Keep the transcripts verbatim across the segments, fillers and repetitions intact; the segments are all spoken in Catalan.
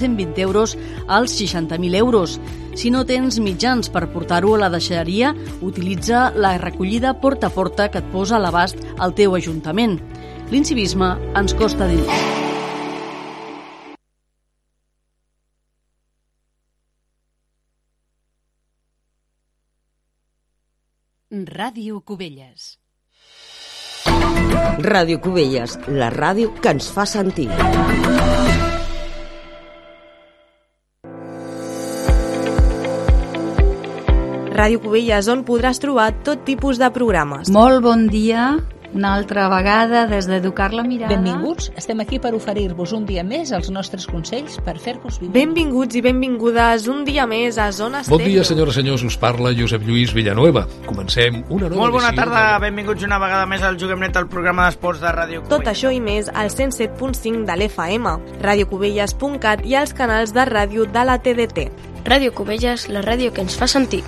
cent vint euros als seixanta mil euros. Si no tens mitjans per portar-ho a la deixalleria, utilitza la recollida porta a porta que et posa a l'abast al teu ajuntament. L'incivisme ens costa diners. Ràdio Cubelles. Ràdio Cubelles, la ràdio que ens fa sentir. Ràdio Cubelles, on podràs trobar tot tipus de programes. Molt bon dia, una altra vegada des d'Educar la Mirada. Benvinguts, estem aquí per oferir-vos un dia més els nostres consells per fer-vos viure. Benvinguts i benvingudes un dia més a Zona Estèreo. Bon dia, senyores i senyors, us parla Josep Lluís Villanueva. Comencem una nova Molt bona edició tarda, de... benvinguts una vegada més al Juguem Net, el programa d'esports de Ràdio Cubelles. Tot això i més al cent set punt cinc de l'F M, radiocubelles punt cat i als canals de ràdio de la T D T. Ràdio Cubelles, la ràdio que ens fa sentir.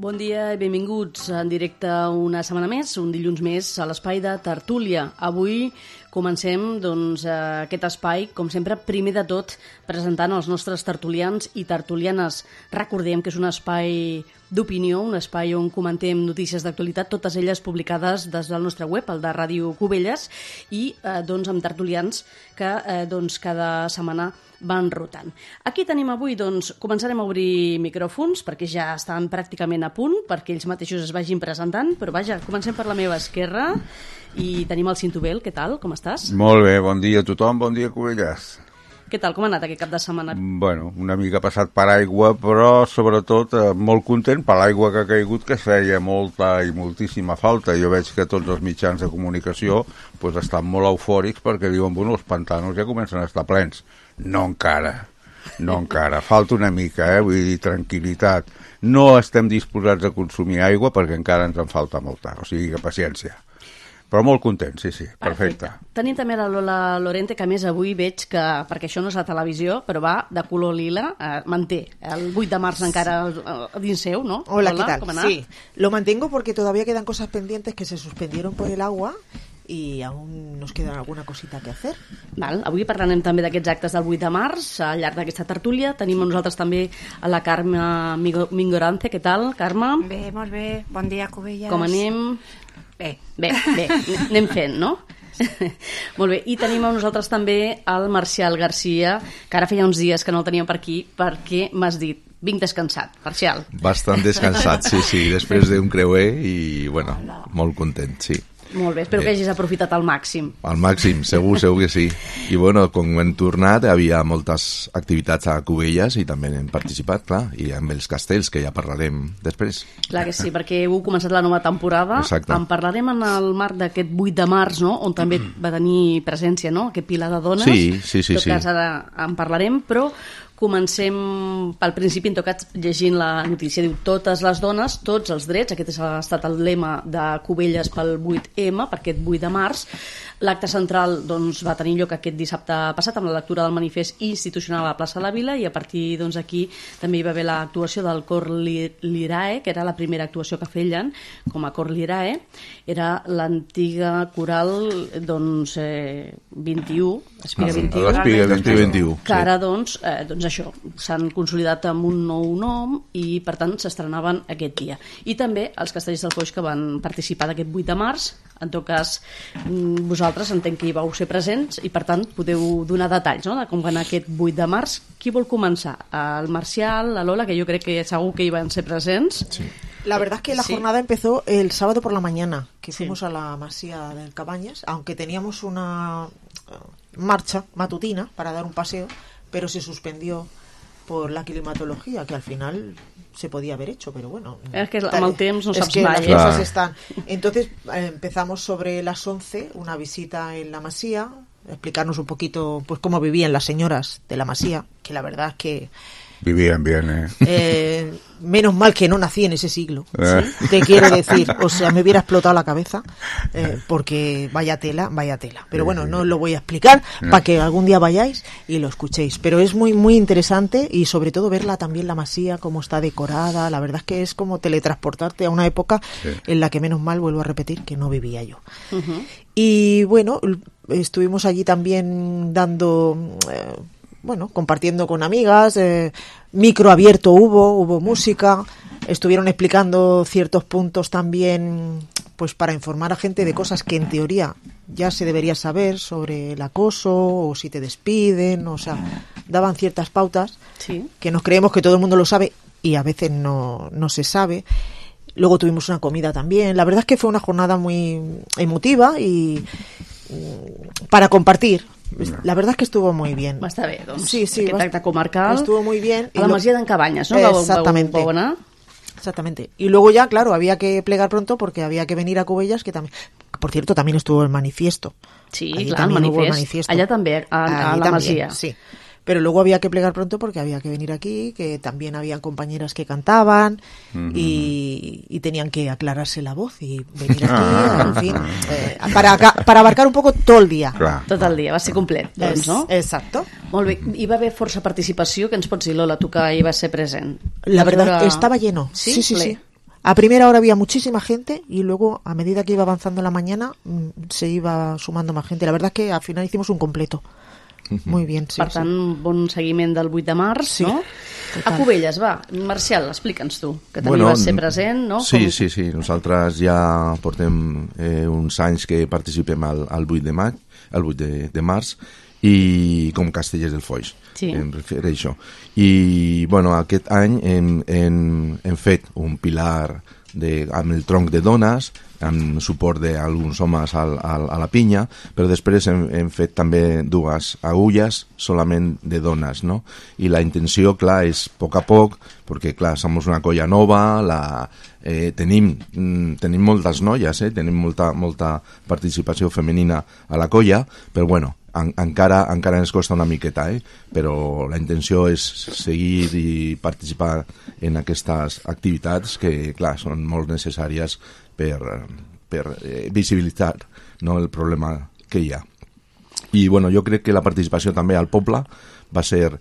Bon dia i benvinguts en directe una setmana més, un dilluns més, a l'espai de Tertúlia. Avui comencem doncs, aquest espai, com sempre, primer de tot, presentant els nostres tertulians i tertulianes. Recordem que és un espai d'opinió, un espai on comentem notícies d'actualitat, totes elles publicades des del nostre web, el de Ràdio Cubelles, i eh, doncs, amb tertulians que eh, doncs, cada setmana van rotant. Aquí tenim avui, doncs, començarem a obrir micròfons, perquè ja estan pràcticament a punt, perquè ells mateixos es vagin presentant, però vaja, comencem per la meva esquerra, i tenim el Cintubel. Què tal? Com estàs? Molt bé, bon dia a tothom, bon dia Cubelles. Què tal? Com ha anat aquest cap de setmana? Bueno, una mica passat per aigua, però sobretot eh, molt content per l'aigua que ha caigut, que feia molta i moltíssima falta. Jo veig que tots els mitjans de comunicació pues, estan molt eufòrics perquè diuen, bueno, els pantanos ja comencen a estar plens. No encara, no encara. Falta una mica, eh? Vull dir, tranquil·litat. No estem disposats a consumir aigua perquè encara ens en falta molta, o sigui que paciència. Però molt content, sí, sí, perfecte. perfecte. Tenim també la Lola Lorente, que a més avui veig que, perquè això no és la televisió, però va de color lila, eh, manté el vuit de març encara a dins seu, ¿no? Hola, Lola, ¿qué tal? ¿cómo ha Sí, lo mantengo porque todavía quedan cosas pendientes que se suspendieron por el agua i aún nos queda alguna cosita que hacer. Val, avui parlarem també d'aquests actes del vuit de març al llarg d'aquesta tertúlia. Tenim amb nosaltres també a la Carme Mingorance. Què tal, Carme? Bé, molt bé. Bon dia, Cubelles. Com anem? Bé. Bé, bé, anem fent, no? Molt bé, i tenim amb nosaltres també el Marcial Garcia, que ara feia uns dies que no el teníem per aquí, perquè m'has dit, vinc descansat, Marcial. Bastant descansat, sí, sí, després d'un creuer i, bueno, molt content, sí. Molt bé, espero que hagis aprofitat al màxim. Al màxim, segur, segur que sí. I bueno, com hem tornat, hi havia moltes activitats a Cubelles i també hem participat, clar, i amb els castells, que ja parlarem després. Clar que sí, perquè heu començat la nova temporada. Exacte. En parlarem en el marc d'aquest vuit de març, no?, on també va tenir presència, no?, aquest pilar de dones. Sí, sí, sí. En tot cas, ara en parlarem, però comencem pel principi, en tot cas, llegint la notícia. Diu, totes les dones, tots els drets. Aquest ha estat el lema de Cubelles pel vuit ema, per aquest vuit de març. L'acte central doncs, va tenir lloc aquest dissabte passat amb la lectura del manifest institucional a la plaça de la Vila, i a partir doncs, aquí també hi va haver l'actuació del Cor Lirae, que era la primera actuació que feien com a Cor Lirae. Era l'antiga coral doncs, eh, vint-i-u, Espiga vint-i-u, L'Espiga vint-i-u, que ara doncs, eh, doncs això, s'han consolidat amb un nou nom i per tant s'estrenaven aquest dia. I també els castellers del Foix que van participar d'aquest vuit de març. En tot cas, vosaltres entenc que hi vau ser presents i per tant podeu donar detalls, no?, de com va anar aquest vuit de març. Qui vol començar? El Marcial, la Lola, que jo crec que segur que hi van ser presents. Sí. La verdad es que la sí. jornada empezó el sábado por la mañana, que sí. fuimos a la Masía del Cabañas, aunque teníamos una marcha matutina para dar un paseo, pero se suspendió por la climatología, que al final se podía haber hecho, pero bueno. Es que amb el temps no saps es que mai. Las cosas están. Entonces eh, empezamos sobre las once, una visita en la Masía, explicarnos un poquito pues cómo vivían las señoras de la Masía, que la verdad es que vivían bien, ¿eh? eh menos mal que no nací en ese siglo, ¿sí? Te quiero decir, o sea, me hubiera explotado la cabeza, eh, porque vaya tela, vaya tela. Pero bueno, no os lo voy a explicar para que algún día vayáis y lo escuchéis. Pero es muy, muy interesante y sobre todo verla también la Masía, cómo está decorada. La verdad es que es como teletransportarte a una época sí. en la que menos mal, vuelvo a repetir, que no vivía yo. Uh-huh. Y bueno, estuvimos allí también dando... Eh, bueno, compartiendo con amigas, eh, micro abierto hubo, hubo música, estuvieron explicando ciertos puntos también, pues para informar a gente de cosas que en teoría ya se debería saber sobre el acoso o si te despiden, o sea, daban ciertas pautas sí. que nos creemos que todo el mundo lo sabe y a veces no, no se sabe. Luego tuvimos una comida también. La verdad es que fue una jornada muy emotiva y para compartir. La verdad es que estuvo muy bien. Va estar bé, doncs. Sí, sí. Aquest acte comarcal. Estuvo muy bien. A la Masia d'en Cabanyes, ¿no? Exactamente. Exactamente. Y luego ya, claro, había que plegar pronto porque había que venir a Cubellas, que también... Por cierto, también estuvo el manifiesto. Sí, Allí clar, el manifest. manifiesto. Allá también, a, a la también, Masia. Sí. Pero luego había que plegar pronto porque había que venir aquí, que también habían compañeras que cantaban mm-hmm. y, y tenían que aclararse la voz y venir aquí, ah, en fin, eh, para, para abarcar un poco todo el dia. Clar. Tot el dia, va ser complet, doncs, no? Exacto. Molt bé, hi va haver força participació, que ens pots dir, Lola, tu que hi vas ser present? La verdad, estaba lleno. Sí, sí, sí, sí. A primera hora había muchísima gente y luego, a medida que iba avanzando la mañana, se iba sumando más gente. La verdad es que al final hicimos un completo. Muy bien, sí. Per tant, sí. bon seguiment del vuit de març, sí, no? Total. A Cubelles, va. Marcial, explica'ns tu, que també bueno, vas ser present, no? Sí, Com... sí, sí. Nosaltres ja portem eh, uns anys que participem al, al vuit de maig, al vuit de, de març, i com Castellers del Foix, sí. em refereixo. I, bueno, aquest any hem, hem, hem fet un pilar de, amb el tronc de dones, amb suport d'alguns homes al, al, a la pinya, però després hem, hem fet també dues agulles solament de dones, no? I la intenció, clar, és a poc a poc, perquè, clar, som una colla nova, la, eh, tenim, tenim moltes noies, eh? Tenim molta, molta participació femenina a la colla, però, bueno, en, encara, encara ens costa una miqueta, eh? Però la intenció és seguir i participar en aquestes activitats que, clar, són molt necessàries per, per eh, visibilitzar, no, el problema que hi ha. I bueno, jo crec que la participació també al poble va ser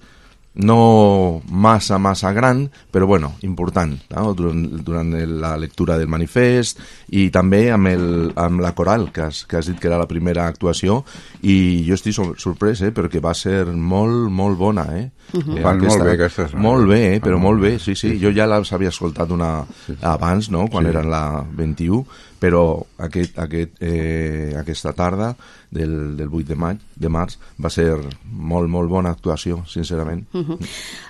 no massa, massa gran, però bueno, important, no? durant, durant la lectura del manifest i també amb, el, amb la coral, que has, que has dit que era la primera actuació, i jo estic sorprès, eh, perquè va ser molt, molt bona, eh? Uh-huh. eh Van aquesta, molt bé aquestes. Molt bé, eh, però molt bé, sí, sí. Jo ja les havia escoltat una, abans, no?, quan sí. eren la vint-i-u, però aquest, aquest, eh, aquesta tarda del, del vuit de maig, de març, va ser molt, molt bona actuació, sincerament. Uh-huh.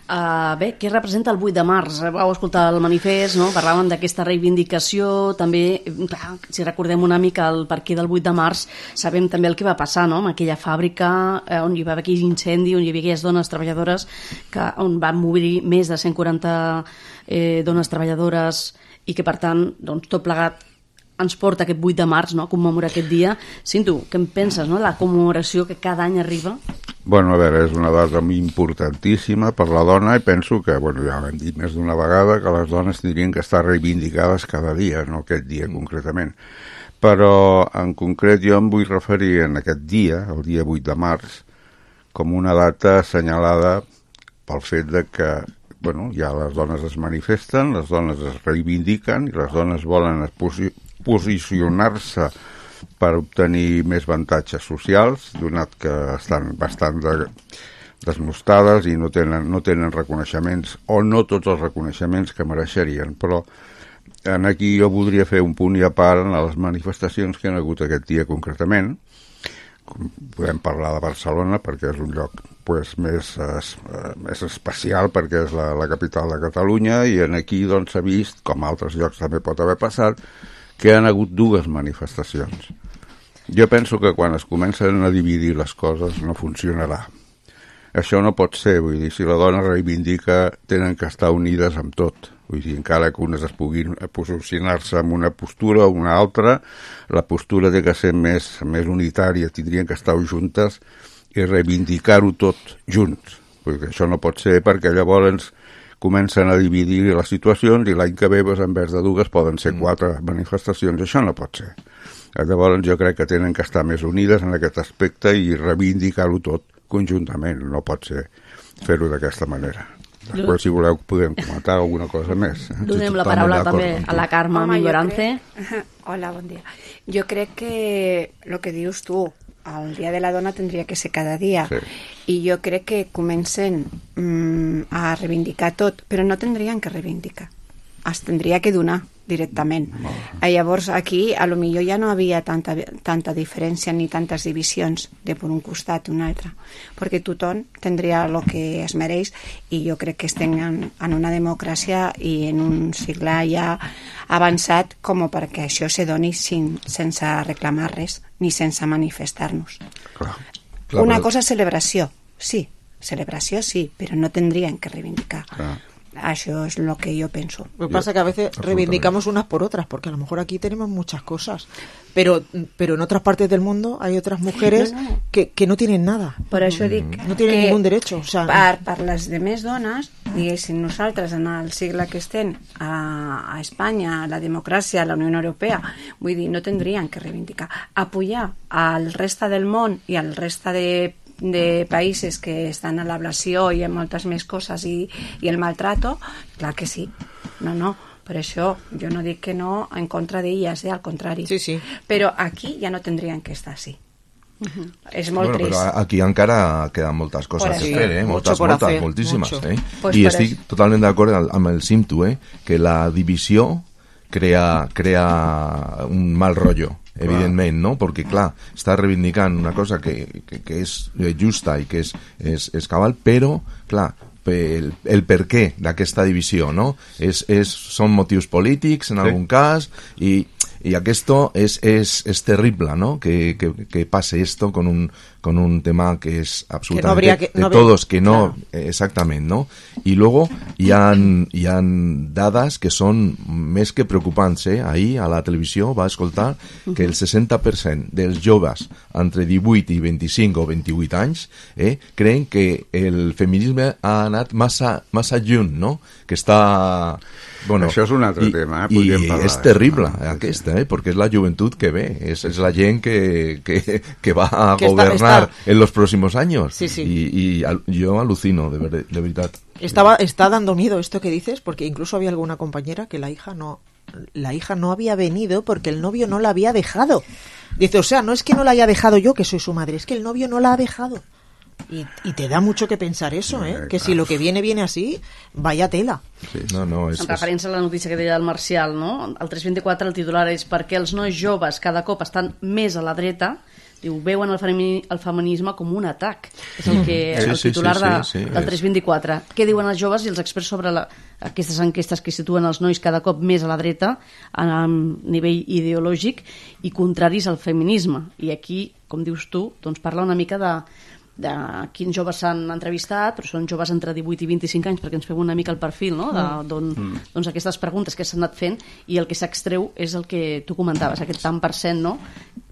Uh, bé, què representa el vuit de març? Vau escoltar el manifest, no? Parlàvem d'aquesta reivindicació, també, clar, si recordem una mica el perquè del vuit de març, sabem també el que va passar, no?, amb aquella fàbrica eh, on hi va haver aquell incendi, on hi havia aquelles dones treballadores, que, on van morir més de cent quaranta eh, dones treballadores i que, per tant, doncs, tot plegat ens porta aquest vuit de març, no?, a commemorar aquest dia. Cinto, què en penses, no?, la commemoració que cada any arriba? Bueno, a veure, és una data importantíssima per la dona i penso que, bueno, ja ho hem dit més d'una vegada, que les dones tindrien que estar reivindicades cada dia, no aquest dia concretament. Però, en concret, jo em vull referir en aquest dia, el dia vuit de març, com una data assenyalada pel fet de que, bueno, ja les dones es manifesten, les dones es reivindiquen i les dones volen posi- posicionar-se per obtenir més avantatges socials, donat que estan bastant de, desmostades i no tenen, no tenen reconeixements, o no tots els reconeixements que mereixerien. Però en aquí jo voldria fer un punt i a part en les manifestacions que han hagut aquest dia concretament, podem parlar de Barcelona perquè és un lloc pues, més, es, més especial perquè és la, la capital de Catalunya i en aquí doncs, s'ha vist, com a altres llocs també pot haver passat, que han hagut dues manifestacions. Jo penso que quan es comencen a dividir les coses no funcionarà. Això no pot ser, vull dir, si la dona reivindica tenen que estar unides amb tot. Vull dir, encara que unes es puguin posicionar-se en una postura o una altra, la postura té que ser més, més unitària, tindrien que estar juntes i reivindicar-ho tot junts. Vull dir, això no pot ser perquè llavors comencen a dividir les situacions i l'any que ve, en vez de dues, poden ser quatre manifestacions. Això no pot ser. Llavors jo crec que tenen que estar més unides en aquest aspecte i reivindicar-ho tot conjuntament, no pot ser fer-ho d'aquesta manera. Després, si voleu, podem comentar alguna cosa més. Donem la paraula també a la Carme Millorance. Hola, bon dia. Jo crec que el que dius tu, el Dia de la Dona tindria que ser cada dia, sí. I jo crec que comencen mm, a reivindicar tot, però no tindrien que reivindicar, es tindria que donar directament. No. Llavors aquí a lo millor ja no havia tanta, tanta diferència ni tantes divisions de per un costat o un altre, perquè tothom tindria el que es mereix i jo crec que estem en, en una democràcia i en un segle ja avançat com perquè això se doni sin, sense reclamar res ni sense manifestar-nos. Clar, clar, una però... cosa és celebració, sí, celebració sí, però no tindrien que reivindicar. Clar. Eso es lo que yo pienso. Lo que pasa es que a veces reivindicamos unas por otras, porque a lo mejor aquí tenemos muchas cosas, pero pero en otras partes del mundo hay otras mujeres no, no. Que, que no tienen nada. Per això dic no tienen ningún derecho. O sea, per, per les demés dones, diguéssim, nosaltres en el segle que estem a, a Espanya, a la democràcia, a la Unió Europea, vull dir, no tindrien que reivindicar. Apoyar al resta del món i al resta de de països que estan a l'ablació i en moltes més coses i, i el maltrato, clar que sí. No, no, per això jo no dic que no en contra d'elles, eh, al contrari. Sí, sí. Però aquí ja no tindrien que estar així. Uh-huh. És molt bueno, trist. Però aquí encara queden moltes coses a fer, eh? moltes, moltes, hacer, moltíssimes. Eh? Pues I estic eso. Totalment d'acord amb el Simtu, eh? Que la divisió crea, crea un mal rollo. Evidentment, no? Perquè, clar, està reivindicant una cosa que, que, que és justa i que és, és, és cabal, però, clar, el, el per què d'aquesta divisió, no? És, és, són motius polítics, en sí. algun cas, i, i esto es, es, es terrible, ¿no? Que, que, que pase esto con un, con un tema que es absolutamente que no que, no de todos, que no, claro. Exactamente, ¿no? Y luego hi ha, hi ha dades que són més que preocupants, eh? Ahir a la televisió va escoltar que el seixanta per cent dels joves entre divuit i vint-i-cinc o vint-i-vuit anys eh, creen que el feminisme ha anat massa, massa lluny, no? Que està... Bueno, això és un altre i, tema, eh? I és terrible aquesta, eh? Perquè és la joventut que ve, és, és la gent que, que, que va a que gobernar está, está... en los próximos años. Sí, sí. Y, y al, yo alucino, de, ver, de verdad. Estaba, está dando miedo esto que dices, porque incluso había alguna compañera que la hija no, la hija no había venido porque el novio no la había dejado. Dice, o sea, no es que no la haya dejado yo, que soy su madre, es que el novio no la ha dejado. Y, y te da mucho que pensar eso, ¿eh? Que si lo que viene, viene así, vaya tela. Sí, no, no, és, en referència a la notícia que deia el Marcial, no? El tres vint-i-quatre, el titular és perquè els nois joves cada cop estan més a la dreta, diu, veuen el, femini, el feminisme com un atac. És el, que, sí, el titular sí, sí, de, sí, sí, del tres vint-i-quatre. Què diuen els joves i els experts sobre la, aquestes enquestes que situen els nois cada cop més a la dreta a, a nivell ideològic i contraris al feminisme? I aquí, com dius tu, doncs parla una mica de de quins joves s'han entrevistat, però són joves entre divuit i vint-i-cinc anys, perquè ens fem una mica el perfil, no? De, don, mm. doncs aquestes preguntes que s'han anat fent i el que s'extreu és el que tu comentaves, aquest tant per cent, no?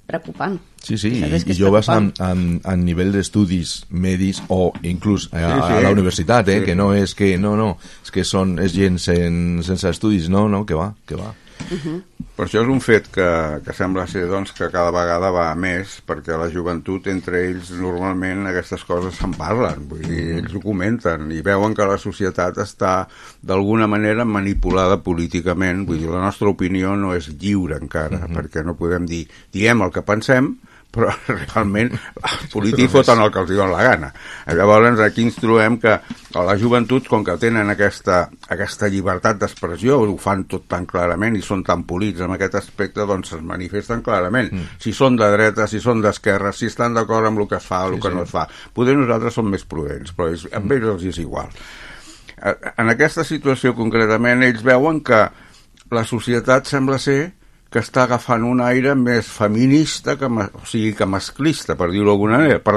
Preocupant. Sí, sí, i, i joves amb, amb, amb nivell d'estudis medis o inclús a, sí, sí. a la universitat, eh? Sí. Que no és que, no, no, és que són, és gent sen, sense estudis, no, no, que va, que va. Uh-huh. Per això és un fet que, que sembla ser doncs, que cada vegada va més, perquè la joventut entre ells normalment aquestes coses se'n parlen, vull dir, ells ho comenten i veuen que la societat està d'alguna manera manipulada políticament, vull dir, la nostra opinió no és lliure encara, uh-huh. perquè no podem dir, diem el que pensem, però realment els polítics foten el que els diuen la gana. Llavors aquí ens trobem que a la joventut, com que tenen aquesta, aquesta llibertat d'expressió, ho fan tot tan clarament i són tan polits en aquest aspecte, doncs es manifesten clarament. Mm. Si són de dreta, si són d'esquerra, si estan d'acord amb el que es fa o el sí, que sí. no es fa. Potser nosaltres som més prudents, però és, amb ells els és igual. En aquesta situació concretament ells veuen que la societat sembla ser que està agafant un aire més feminista, que, o sigui, que masclista, per dir-ho d'alguna manera, per,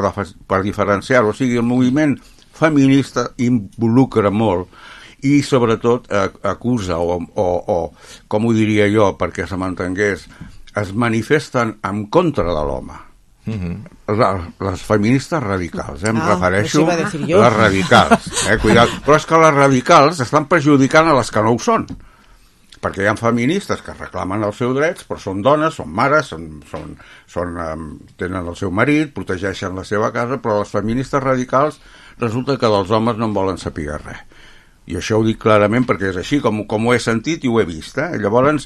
per diferenciar-ho. O sigui, el moviment feminista involucra molt i sobretot acusa o, o, o com ho diria jo perquè se m'entengués, es manifesten en contra de l'home. Mm-hmm. les, les feministes radicals, eh? em ah, refereixo a les radicals, eh? Cuidado. Però és que les radicals estan perjudicant a les que no ho són, perquè hi ha feministes que reclamen els seus drets, però són dones, són mares, són, són, són, um, tenen el seu marit, protegeixen la seva casa, però les feministes radicals resulta que dels homes no en volen saber res. I això ho dic clarament perquè és així, com, com ho he sentit i ho he vist. Eh? Llavors,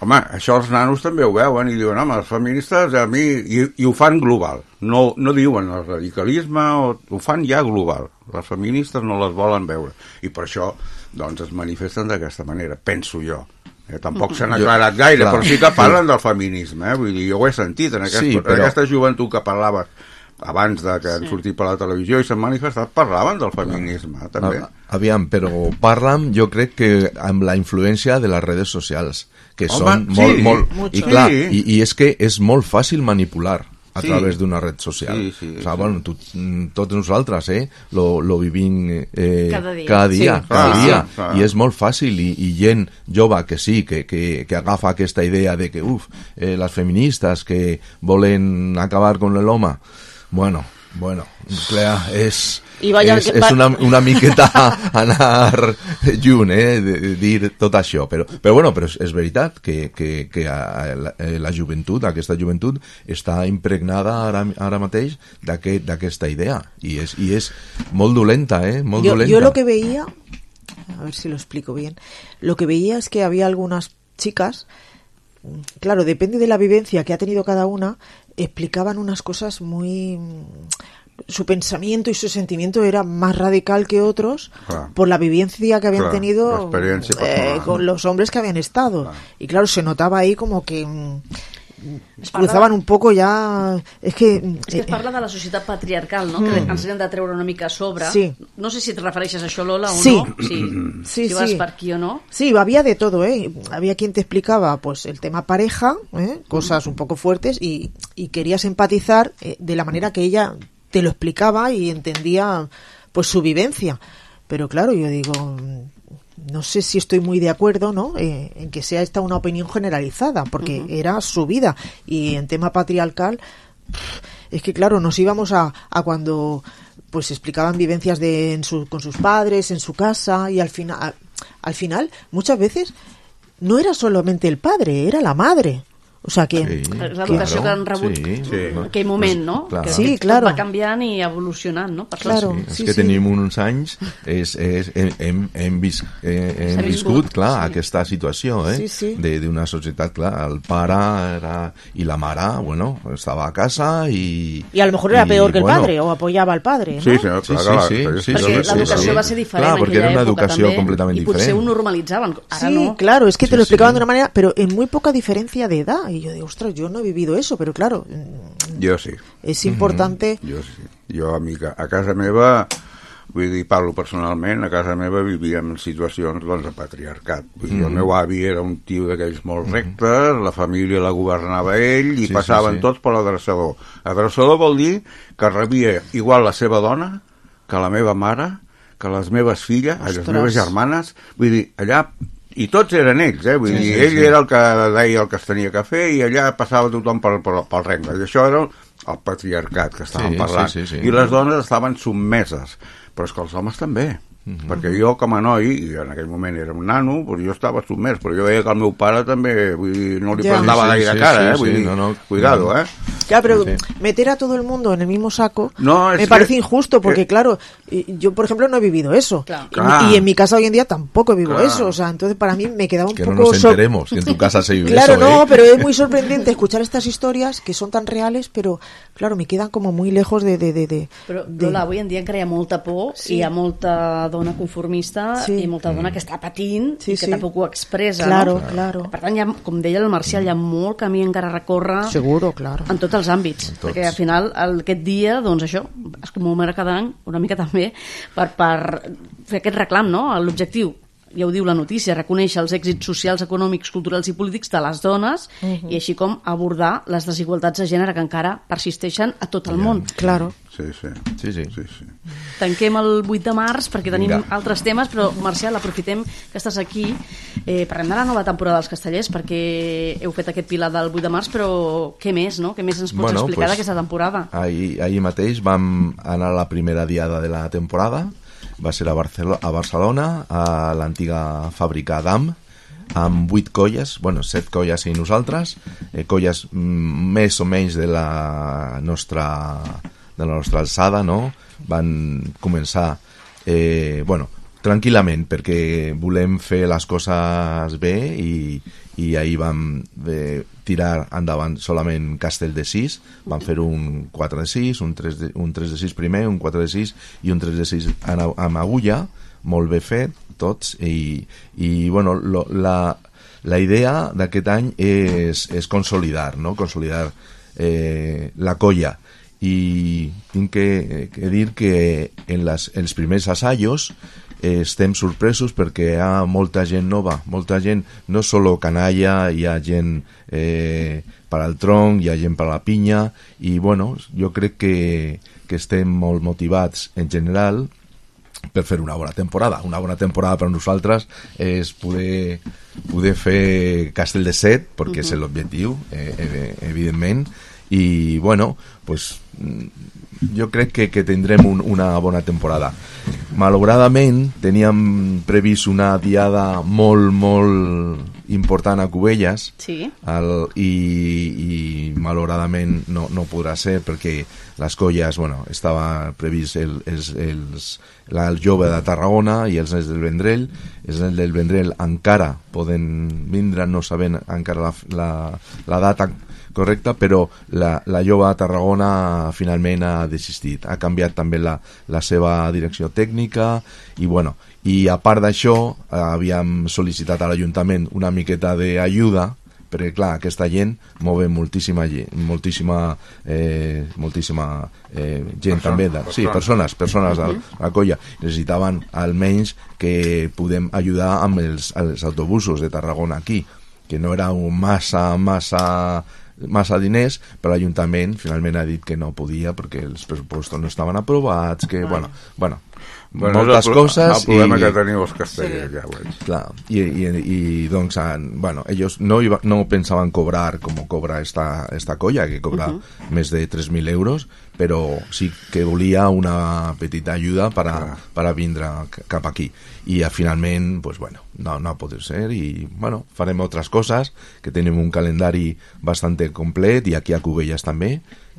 home, això els nanos també ho veuen i diuen, home, els feministes a mi... I, i ho fan global. No, no diuen el radicalisme, o, ho fan ja global. Les feministes no les volen veure. I per això, doncs, es manifesten d'aquesta manera, penso jo. Eh, tampoc s'han aclarat gaire, clar, però sí que parlen del feminisme. Eh? Vull dir, jo ho he sentit en, aquest, sí, però... en aquesta joventut que parlava abans de que han sí. sortit per la televisió i s'han manifestat, parlaven del feminisme, també. Aviam, però parlen, jo crec que amb la influència de les redes socials, que Home, són sí, molt, molt... Mucho. I clar, sí. i, i és que és molt fàcil manipular a sí. través d'una red social. Sí, sí, o sea, sí. bueno, tu, tots nosaltres eh, lo, lo vivim eh, cada dia, cada dia, sí. cada ah, dia. Ah, i és molt fàcil, i, i gent jove que sí, que, que, que agafa aquesta idea de que, uf, eh, les feministes que volen acabar con l'home, bueno, bueno, clar, és, és, és una, una miqueta anar junt, eh, de, de dir tot això, però, però bueno, però és, és veritat que, que, que la, la joventut, aquesta joventut està impregnada ara, ara mateix d'aquest, d'aquesta idea, i és, i és molt dolenta, eh, molt yo, dolenta. Yo lo que veía, a ver si lo explico bien, lo que veía es que había algunas chicas, claro, depende de la vivencia que ha tenido cada una, explicaban unas cosas muy... Su pensamiento y su sentimiento era más radical que otros, claro, por la vivencia que habían claro, tenido eh, con los hombres que habían estado. Claro. Y claro, se notaba ahí como que... es cruzaven un poc ja... És que, és que es parla de la societat patriarcal, no? Mm. Que ens hem de treure una mica a sobre. Sí. No sé si et refereixes a això, Lola, o sí. no. Sí. Sí, si vas sí. per aquí o no. Sí, había de todo, ¿eh? Había quien te explicaba pues el tema pareja, ¿eh? Cosas un poco fuertes, y, y querías empatizar eh, de la manera que ella te lo explicaba y entendía pues su vivencia. Pero claro, yo digo... no sé si estoy muy de acuerdo, ¿no? Eh, en que sea esta una opinión generalizada, porque uh-huh. era su vida. Y en tema patriarcal, es que claro, nos íbamos a, a cuando pues explicaban vivencias de en su, con sus padres, en su casa, y al final, a, al final, muchas veces, no era solamente el padre, era la madre. O sea que... Sí, l'educació claro, que han rebut sí, sí. en aquell moment, no? Claro. Que sí, claro. va canviant i evolucionant, no? Per claro, sí, sí, és que sí. tenim uns anys, és, és, hem, hem, vis, eh, hem viscut, clar, sí. aquesta situació, eh? Sí, sí. d'una societat, clar, el pare era, i la mare, bueno, estava a casa i... Y a lo mejor era y, peor que el bueno, padre, o apoyaba al padre, ¿no? Sí, sí, sí, sí, sí, sí, perquè sí, l'educació sí. va ser diferent clar, en perquè aquella era una època educació també, completament i potser diferent. ho normalitzaven, ara sí, no. claro, es que te sí, lo explicaban sí. de una manera, pero en muy poca diferencia de edad, y yo digo, ostras, yo no he vivido eso, pero claro, jo sí. És importante. Mm-hmm. Jo sí. Jo a, mi, a casa meva, vull dir, parlo personalment, a casa meva vivíem situacions doncs, de patriarcat. Vull dir, mm-hmm. el meu avi era un tio d'aquells molt rectes, mm-hmm. la família la governava ell i sí, passaven sí, sí. tots per l'adreçador. Adreçador vol dir que rebia igual la seva dona que la meva mare, que les meves filles, Ostres. les meves germanes. Vull dir, allà... I tots eren ells, eh? Vull sí, dir, sí, ell sí. era el que deia el que es tenia que fer i allà passava tothom pel, pel, pel rengle. I això era el patriarcat que estàvem sí, parlant. Sí, sí, sí. I les dones estaven submeses. Però és que els homes també. Mm-hmm. Perquè jo com a noi, i en aquell moment era un nano, doncs jo estava submès, però jo veia que el meu pare també, vull dir, no li ja. plantava sí, sí, gaire sí, cara, eh? Vull sí, dir, no, no, cuidado, eh? Ya, pero sí. meter a todo el mundo en el mismo saco no, me que, parece injusto, porque eh, claro, yo por ejemplo no he vivido eso. Claro. Y, claro. y en mi casa hoy en día tampoco vivo claro. eso. O sea, entonces para mí me quedaba un que poco... Que no nos enteremos que en tu casa se vive claro, eso, no, ¿eh? pero es muy sorprendente escuchar estas historias que son tan reales, pero claro, me quedan como muy lejos de... de, de, de però, de... Lola, avui en dia encara hi ha molta por, sí. hi ha molta dona conformista sí. i molta dona que està patint sí, i que sí. tampoc ho expressa, claro, no? Claro. Per tant, ha, com deia el Marcial, hi ha molt camí encara a recórrer. Seguro, claro. En tots els àmbits, tots. Perquè al final el, aquest dia, doncs això, es commemora cada any, una mica també, per, per fer aquest reclam, no? L'objectiu, ja ho diu la notícia, reconèixer els èxits socials, econòmics, culturals i polítics de les dones uh-huh. i així com abordar les desigualtats de gènere que encara persisteixen a tot el yeah. món. Claro. Sí, sí. Sí, sí. sí, sí. Tanquem el vuit de març perquè tenim Vinga. altres temes, però Marcial, aprofitem que estàs aquí. Eh, parlem de la nova temporada dels Castellers perquè heu fet aquest pilar del vuit de març, però què més, no? Què més ens pots bueno, explicar pues, d'aquesta temporada? Ahir, ahir mateix vam anar a la primera diada de la temporada. Va ser a, Barcelo- a Barcelona, a l'antiga fàbrica d'Am, amb vuit colles, bueno, set colles i nosaltres, eh, colles mm, més o menys de la nostra, de la nostra alçada, no? Van començar, eh, bueno, tranquil·lament, perquè volem fer les coses bé i, i ahir vam eh, tirar endavant solament castell de sis, vam fer un quatre de sis, un tres de, un tres de sis primer, un quatre de sis i un tres de sis amb, amb agulla, molt bé fet tots, i, i bueno, lo, la, la idea d'aquest any és, és consolidar, no? Consolidar eh, la colla, i tinc que, que dir que en les, els primers assajos eh, estem sorpresos perquè hi ha molta gent nova, molta gent, no solo canalla, hi ha gent eh, per al tronc, hi ha gent per a la pinya, i bueno, jo crec que, que estem molt motivats en general per fer una bona temporada. Una bona temporada per nosaltres és poder, poder fer Castell de Set, perquè uh-huh. és l'objectiu, eh, evidentment, i bueno, pues jo crec que, que tindrem un, una bona temporada. Malauradament teníem previst una diada molt, molt important a Cubelles, sí. el, i, i malauradament no, no podrà ser perquè les colles, bueno, estava previst el, els, els, la, el jove de Tarragona i els nens del Vendrell. Els nens del Vendrell encara poden vindre, no sabent encara la, la, la data correcta, però la, la jove de Tarragona finalment ha desistit, ha canviat també la, la seva direcció tècnica i bueno, i a part d'això havíem sol·licitat a l'Ajuntament una miqueta d'ajuda perquè clar, aquesta gent move moltíssima gent, moltíssima eh, moltíssima eh, gent Person, també, de, sí, persones, persones de la colla, necessitaven almenys que podem ajudar amb els, els autobusos de Tarragona aquí, que no era un massa, massa massa diners, però l'Ajuntament finalment ha dit que no podia perquè els pressupostos no estaven aprovats, que bueno, bueno, bueno moltes el, coses el problema i, que teniu els castellers sí. ja ho veig. Clar, i, i, i doncs bueno, ells no, iba, no pensaven cobrar com cobra esta, esta colla, que cobra uh-huh. més de tres mil euros, però sí que volia una petita ajuda per a, uh. per a vindre cap aquí, i finalment pues, bueno, no, no pot ser, i bueno, farem altres coses, que tenim un calendari bastant complet, i aquí a Cubelles també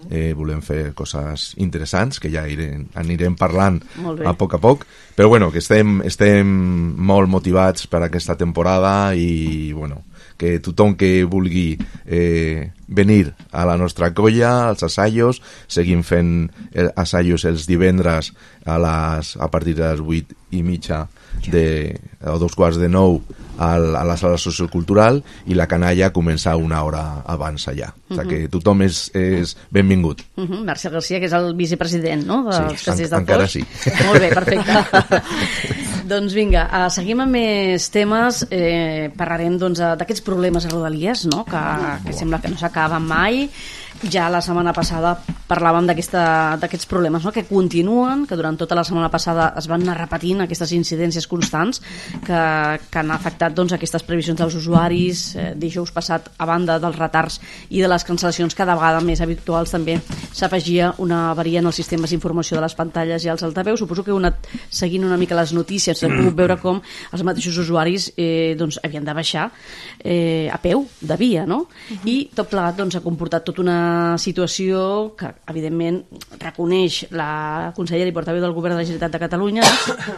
eh, volem fer coses interessants que ja irem, anirem parlant a poc a poc, però bueno, que estem, estem molt motivats per aquesta temporada i bueno, que tothom que vulgui eh, venir a la nostra colla, als assajos, seguim fent assajos els divendres a, les, a partir de les vuit i mitja de, o dos quarts de nou a la sala sociocultural, i la canalla comença una hora abans allà. Uh-huh. O sigui que tothom és, és benvingut. Uh-huh. Marcial Garcia, que és el vicepresident, no? Dels sí, Castellers del encara Foix. sí. Molt bé, perfecte. Doncs vinga, uh, seguim amb més temes. Eh, parlarem doncs, d'aquests problemes a Rodalies, no? que, que sembla que no s'acaben mai. Ja la setmana passada parlàvem d'aquests problemes, no? que continuen, que durant tota la setmana passada es van anar repetint aquestes incidències constants que, que han afectat doncs, aquestes previsions dels usuaris. Eh, dijous passat, a banda dels retards i de les cancel·lacions cada vegada més habituals, també s'afegia una avaria en els sistemes d'informació de les pantalles i els altaveus. Suposo que heu anat seguint una mica les notícies, hem pogut veure com els mateixos usuaris eh, doncs, havien de baixar eh, a peu de via, no? Uh-huh. I tot plegat doncs, ha comportat tota una una situació que, evidentment, reconeix la consellera i portaveu del Govern de la Generalitat de Catalunya,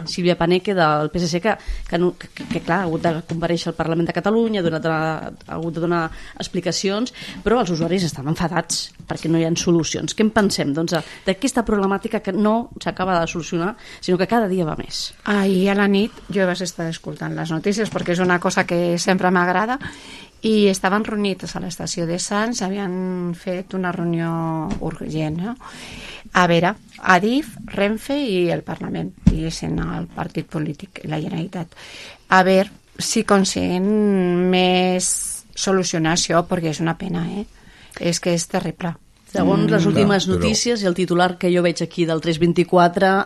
Sílvia Paneque, del P S C, que, que, que, que clar, ha hagut de comparèixer al Parlament de Catalunya, ha, donat, ha hagut de donar explicacions, però els usuaris estan enfadats perquè no hi ha solucions. Què en pensem, doncs, d'aquesta problemàtica que no s'acaba de solucionar, sinó que cada dia va més? Ahir a la nit jo vaig estar escoltant les notícies perquè és una cosa que sempre m'agrada, i estaven reunits a l'estació de Sants, havien fet una reunió urgent, no? A veure, Adif, Renfe i el Parlament, diguéssim, el partit polític, la Generalitat. A veure si aconseguim més solucionar això, perquè és una pena, eh? És que és terrible. Segons les últimes notícies i el titular que jo veig aquí del tres vint-i-quatre,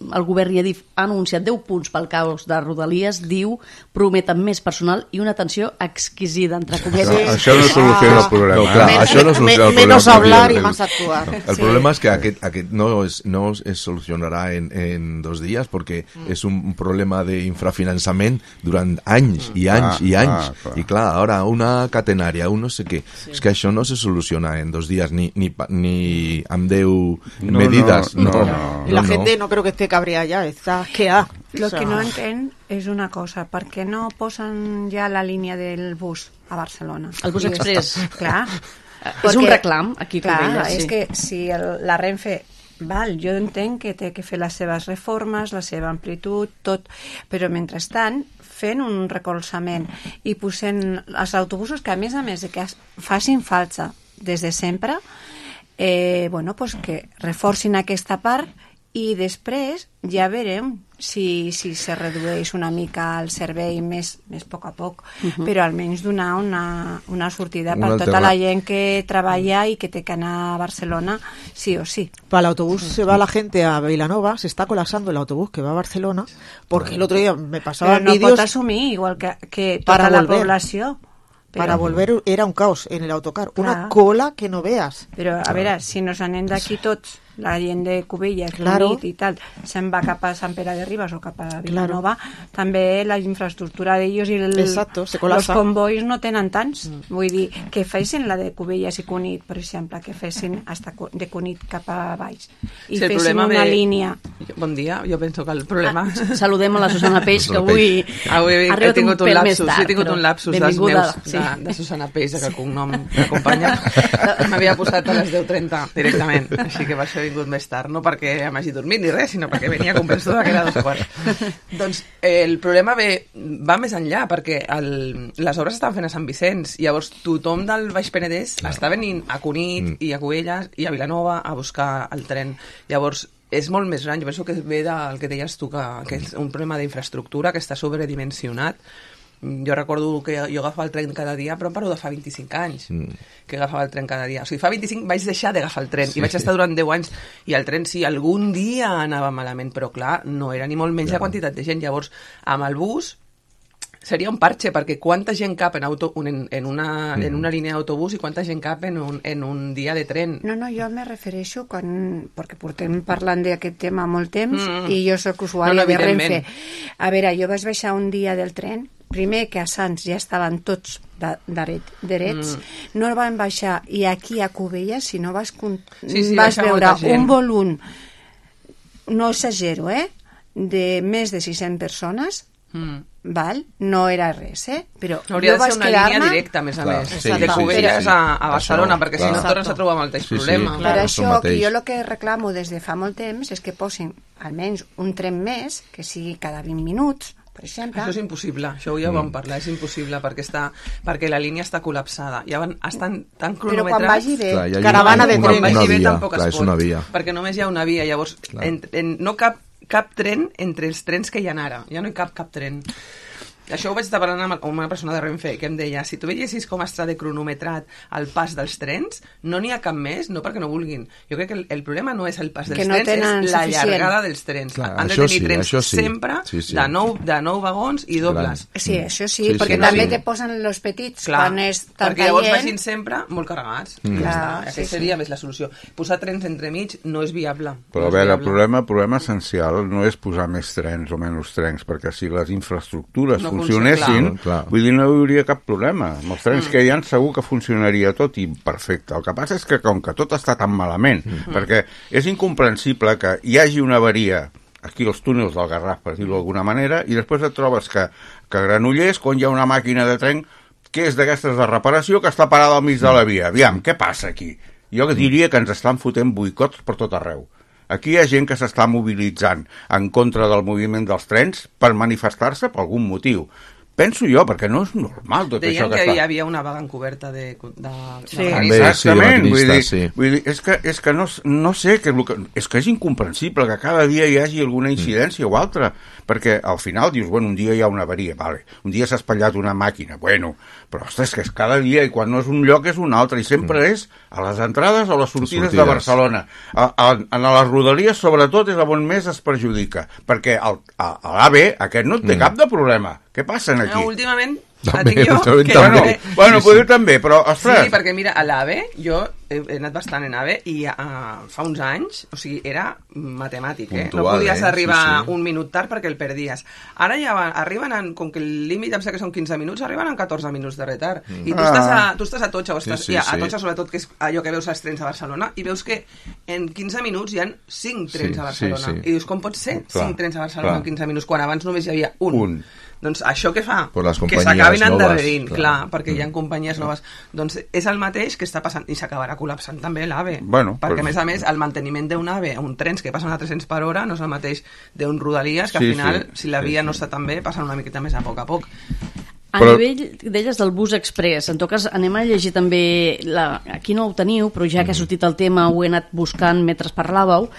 el govern i Adif ha anunciat deu punts pel caos de Rodalies, diu, prometen més personal i una atenció exquisida, entre cometes. Sí. Això no soluciona el problema. No, clar, eh? això no soluciona el problema. Menos hablar i más actuar. El sí. problema és que aquest, aquest no, es, no es solucionarà en, en dos dies perquè mm. és un problema d'infrafinançament durant anys i anys ah, i anys. Ah, clar. I clar, ara una catenària, un no sé què. Sí. És que això no se soluciona en dos dies ni, ni, ni amb deu no, medidas. No, no, no, no. Y la no, gente no creo que esté cabreada ya, está que ha. Lo que no entenc és una cosa, per què no posen ja la línia del bus a Barcelona? El bus express. Clar. És un reclam aquí a Cubelles, sí. És que si el, la Renfe, val, jo entenc que té que fer les seves reformes, la seva amplitud, tot, però mentrestant fent un recolzament i posant els autobusos que a més a més de que facin falta des de sempre, eh, bueno, pues que reforcin aquesta part i després ja veurem si, si se redueix una mica el servei més, més a poc a poc, uh-huh. però almenys donar una, una sortida per tota la gent que treballa i que té que anar a Barcelona sí o sí. Para el autobús se va la gente a Vilanova, se está colapsando el autobús que va a Barcelona, porque el otro día me pasaban vídeos... Però no vídeos pot assumir, igual que, que tota la volver. població. Pero, para volver era un caos en el autocar, clar. Una cola que no veas. Però a veure, si nos anem d'aquí tots, la gent de Cubelles, claro. Cunit i tal, se'n va cap a Sant Pere de Ribes o cap a Vilanova, claro. També la infraestructura d'ells i el, Exacto, se els convois no tenen tants. Mm. Vull dir, que fessin la de Cubelles i Cunit, per exemple, que fessin hasta de Cunit cap a baix. I sí, fessin una ve... línia. Bon dia, jo penso que el problema... Ah, saludem a la Susana Peix, que avui, avui ha arribat un pèl lapsus, més tard. He tingut un lapsus dels meus, sí. de, de Susana Peix, que el cognom m'acompanya. M'havia posat a les deu trenta directament, així que per això he vingut més tard, no perquè m'hagi dormit ni res, sinó perquè venia convençuda que era dos quarts. Doncs eh, el problema ve, va més enllà, perquè el, les obres estan fent a Sant Vicenç, llavors tothom del Baix Penedès no. està venint a Cunit mm. i a Cubelles i a Vilanova a buscar el tren. Llavors, és molt més gran. Jo penso que ve del que deies tu, que, que és un problema d'infraestructura que està sobredimensionat. Jo recordo que jo agafava el tren cada dia, però em parlo de fa vint-i-cinc anys mm. que agafava el tren cada dia. O sigui, fa vint-i-cinc vaig deixar d'agafar el tren sí. i vaig estar durant deu anys i el tren sí, algun dia anava malament, però clar, no era ni molt menys ja. la quantitat de gent. Llavors, amb el bus seria un parche, perquè quanta gent cap en, auto, en, en, una, mm. en una línia d'autobús i quanta gent cap en un, en un dia de tren. No, no, jo me refereixo quan, perquè portem parlant d'aquest tema molt temps mm. i jo soc usuària no, no, de Renfe. A veure, jo vaig baixar un dia del tren, primer que a Sants ja estaven tots drets, mm. no el van baixar, i aquí a Cubelles, si no vas, sí, sí, vas veure un volum, no exagero, eh, de més de sis-centes persones, mm. val? No era res, eh? Però hauria de ser una línia directa, a més a clar, més, sí, de Cubelles sí, sí. a, a Barcelona, això, perquè clar. Si no tornes a trobar amb el mateix sí, problema. Sí, per això, que jo el que reclamo des de fa molt temps és que posin almenys un tren més, que sigui cada vint minuts, per exemple. Això és impossible, això ja ho vam parlar, és impossible perquè, està, perquè la línia està col·lapsada. Ja van, estan tan cronometrats... Però quan vagi bé, clar, caravana de tren. Quan vagi bé tampoc clar, es pot, una via. Perquè només hi ha una via, llavors en, en, no cap, cap tren entre els trens que hi ha ara, ja no hi cap cap tren. Això ho vaig estar parlant amb una persona de Renfe que em deia, si tu veiessis com està de cronometrat el pas dels trens, no n'hi ha cap més, no perquè no vulguin. Jo crec que el, el problema no és el pas dels no trens, és la suficient. llargada dels trens. Clar, han de tenir sí, trens sí. sempre sí, sí. de nou, de nou vagons i dobles. Sí, això sí, sí perquè sí, també sí. te posen els petits clar, quan és tanta perquè llavors gent. vagin sempre molt carregats. Mm. Ja clar, està. Aquesta sí, seria sí. més la solució. Posar trens entremig no és viable. Però no a veure, viable. el problema, el problema essencial no és posar més trens o menys trens, perquè si les infraestructures no funcionen, funcionessin, clar, clar. vull dir, no hi hauria cap problema. Amb els trens mm. que hi ha segur que funcionaria tot i perfecte. El que passa és que com que tot està tan malament, mm. perquè és incomprensible que hi hagi una avaria aquí als túnels del Garraf, per dir-ho d'alguna manera, i després et trobes que, que a Granollers, quan hi ha una màquina de tren que és d'aquestes de reparació que està parada al mig de la via. Aviam, què passa aquí? Jo diria que ens estan fotent boicots per tot arreu. Aquí hi ha gent que s'està mobilitzant en contra del moviment dels trens per manifestar-se per algun motiu. Penso jo, perquè no és normal tot Deien això que, que està... hi havia una vaga encoberta de... de... Sí. de També, exactament, sí, vull dir, sí. vull dir, és que, és que no, no sé, que, és que és incomprensible que cada dia hi hagi alguna incidència mm. o altra, perquè al final dius, bueno, un dia hi ha una avaria, vale, un dia s'ha espatllat una màquina, bueno, però ostres, que és cada dia i quan no és un lloc és un altre, i sempre mm. és a les entrades o les sortides, sortides. de Barcelona. A, a, a les rodalies, sobretot, és on més es perjudica, perquè el, a, a l'A V aquest no té mm. cap de problema. Què passa aquí? No, últimament també, tinc jo, també, que també. Bueno, bueno sí, sí. també, però, ostres... Sí, perquè mira, a l'A V, jo he, he anat bastant en A V i uh, fa uns anys, o sigui, era matemàtic, eh? Puntual, no podies eh? arribar sí, sí. un minut tard perquè el perdies. Ara ja va, arriben, en, com que el límit em sé que són quinze minuts, arriben en catorze minuts de retard. Mm. I tu, ah. estàs a, tu estàs a Totxa, o estàs, sí, sí, ja, a Totxa sí. sobretot, que és allò que veus als trens a Barcelona, i veus que en quinze minuts hi ha cinc trens sí, a Barcelona. Sí, sí. I dius, com pot ser Clar, cinc trens a Barcelona clar. en quinze minuts, quan abans només hi havia un? Un. Doncs això què fa? Que s'acabin endarrerint, clar, clar, perquè mm. hi ha companyies noves. Doncs és el mateix que està passant, i s'acabarà col·lapsant també l'AVE. Bueno, perquè, però... a més a més, el manteniment d'un AVE, un trens que passen a tres-cents per hora, no és el mateix d'un Rodalies, que sí, al final, sí, si la via sí, no està tan bé, passen una miqueta més a poc a poc. A Però... nivell d'elles del bus express, en tot cas anem a llegir també, la... aquí no ho teniu, però ja que ha sortit el tema ho he anat buscant mentre parlàveu.